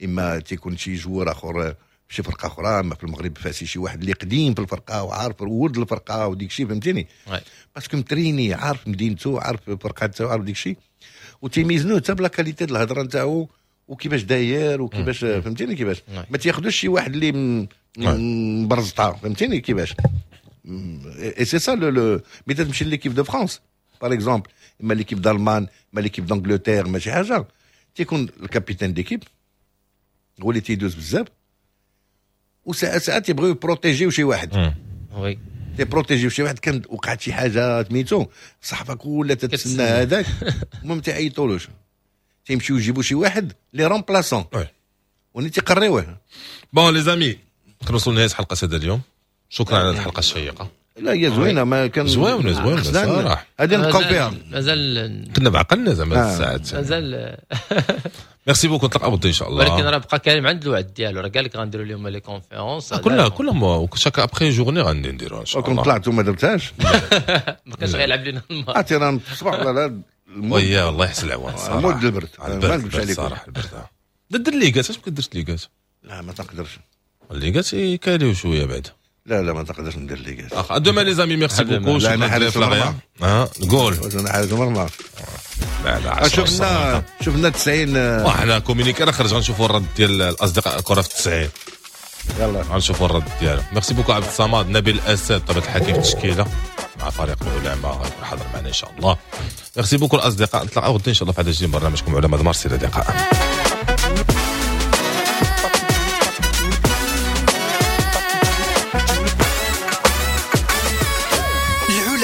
اما تيكون شي joueur اخر في شي فرقه اخرى، اما في المغرب فاسي شي واحد اللي قديم في الفرقة وعارف ولد الفرقة وديك الشيء، فهمتيني؟ parce que متريني، عارف مدينته، عارف الفرقة تاعو، عارف ديك الشيء، وتيميزنوه حتى ب la qualité ديال الهضرة نتاعو وكيفاش داير وكيفاش، فهمتيني كيفاش؟ ما تياخذوش شي واحد اللي مبرزطه، فهمتيني كيفاش؟ et c'est ça le mais تمشي l'équipe de France par exemple، اما l'équipe d'Allemagne، اما l'équipe d'Angleterre، ماشي حاجه، تيكون ال capitaine d'équipe هو اللي تيدوز بزاف، وساعات ساعات يبغيو يبروتيجيو شي واحد. تيبروتيجيو شي واحد، كان وقعت شي حاجة سميتو، الصحافة كلها تتسنى هذاك، المهم تيعيطولوش، تيمشيو يجيبوا شي واحد les remplaçants وني تيقريوه. bon les amis، كنوصلوا لنهاية حلقة هذا اليوم. شكرا على الحلقة الشيقه. لا هي زوينة، ما كان زوينة زوينة صراحة، غادي نبقاو فيها. مازال كنا بعقلنا زعما الساعات مازال. merci beaucoup، نتلاقاو غدا ان شاء الله. ولكن راه بقى كريم عند الوعد ديالو، راه قال لك غنديروا اليوم les conférences كلهم chaque après journée غادي نديروها ان شاء الله. كون طلعتوا ما درتهاش ما كانش غيلعب لنا الماتش. عرفتي راه الصباح ولا ويا الله يحسن العوان صراحة. مود البرد، ما نكذبش عليك صراحة البرد. دير les gants، علاش ما كديرش les gants؟ لا ما تقدرش، les gants يكاليو شوية بعد. لا لا ما تقدرش ندير les gants. à demain les amis، merci beaucoup. لا انا حارس المرمى. قول انا حارس المرمى. لا لا شفنا 90. وحنا communiqué راه خرج، غنشوفوا الرد ديال الاصدقاء الكره في 90. يلا غنشوفوا الرد ديالو. merci beaucoup عبد الصمد، نبيل الاسد طبيعة الحال في التشكيلة مع فريق العلماء غيكون حاضر معنا ان شاء الله. merci beaucoup الاصدقاء، نتلاقاو غدا ان شاء الله في هذا الجديد برنامجكم علماء مارس. الى اللقاء.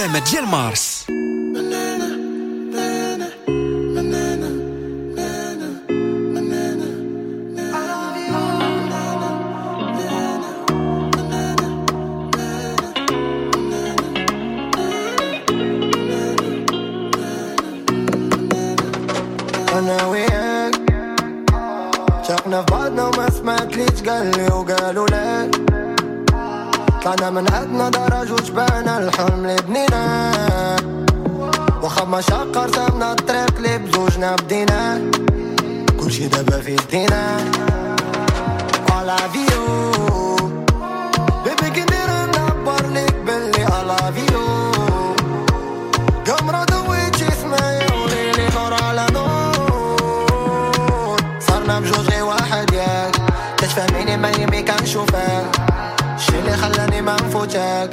العلماء ديال مارس. انا وياك شاقنا في بعضنا وما سمعت لي تقال لي وقالوا لك طلعنا من عندنا درج وشبعنا الحلم اللي بنينا، واخا ما شقر رسمنا الطريق اللي بزوجنا بدينا، كلشي دابا في يدينا. I love you baby، كندير نعبر ليك بلي I love you. قمرة دويتي سمايا وليلي نور على نور، صرنا بجوج غير واحد ياك، تتفهميني ما يمي كنشوفك، الشي اللي خلاني ما نفوتك.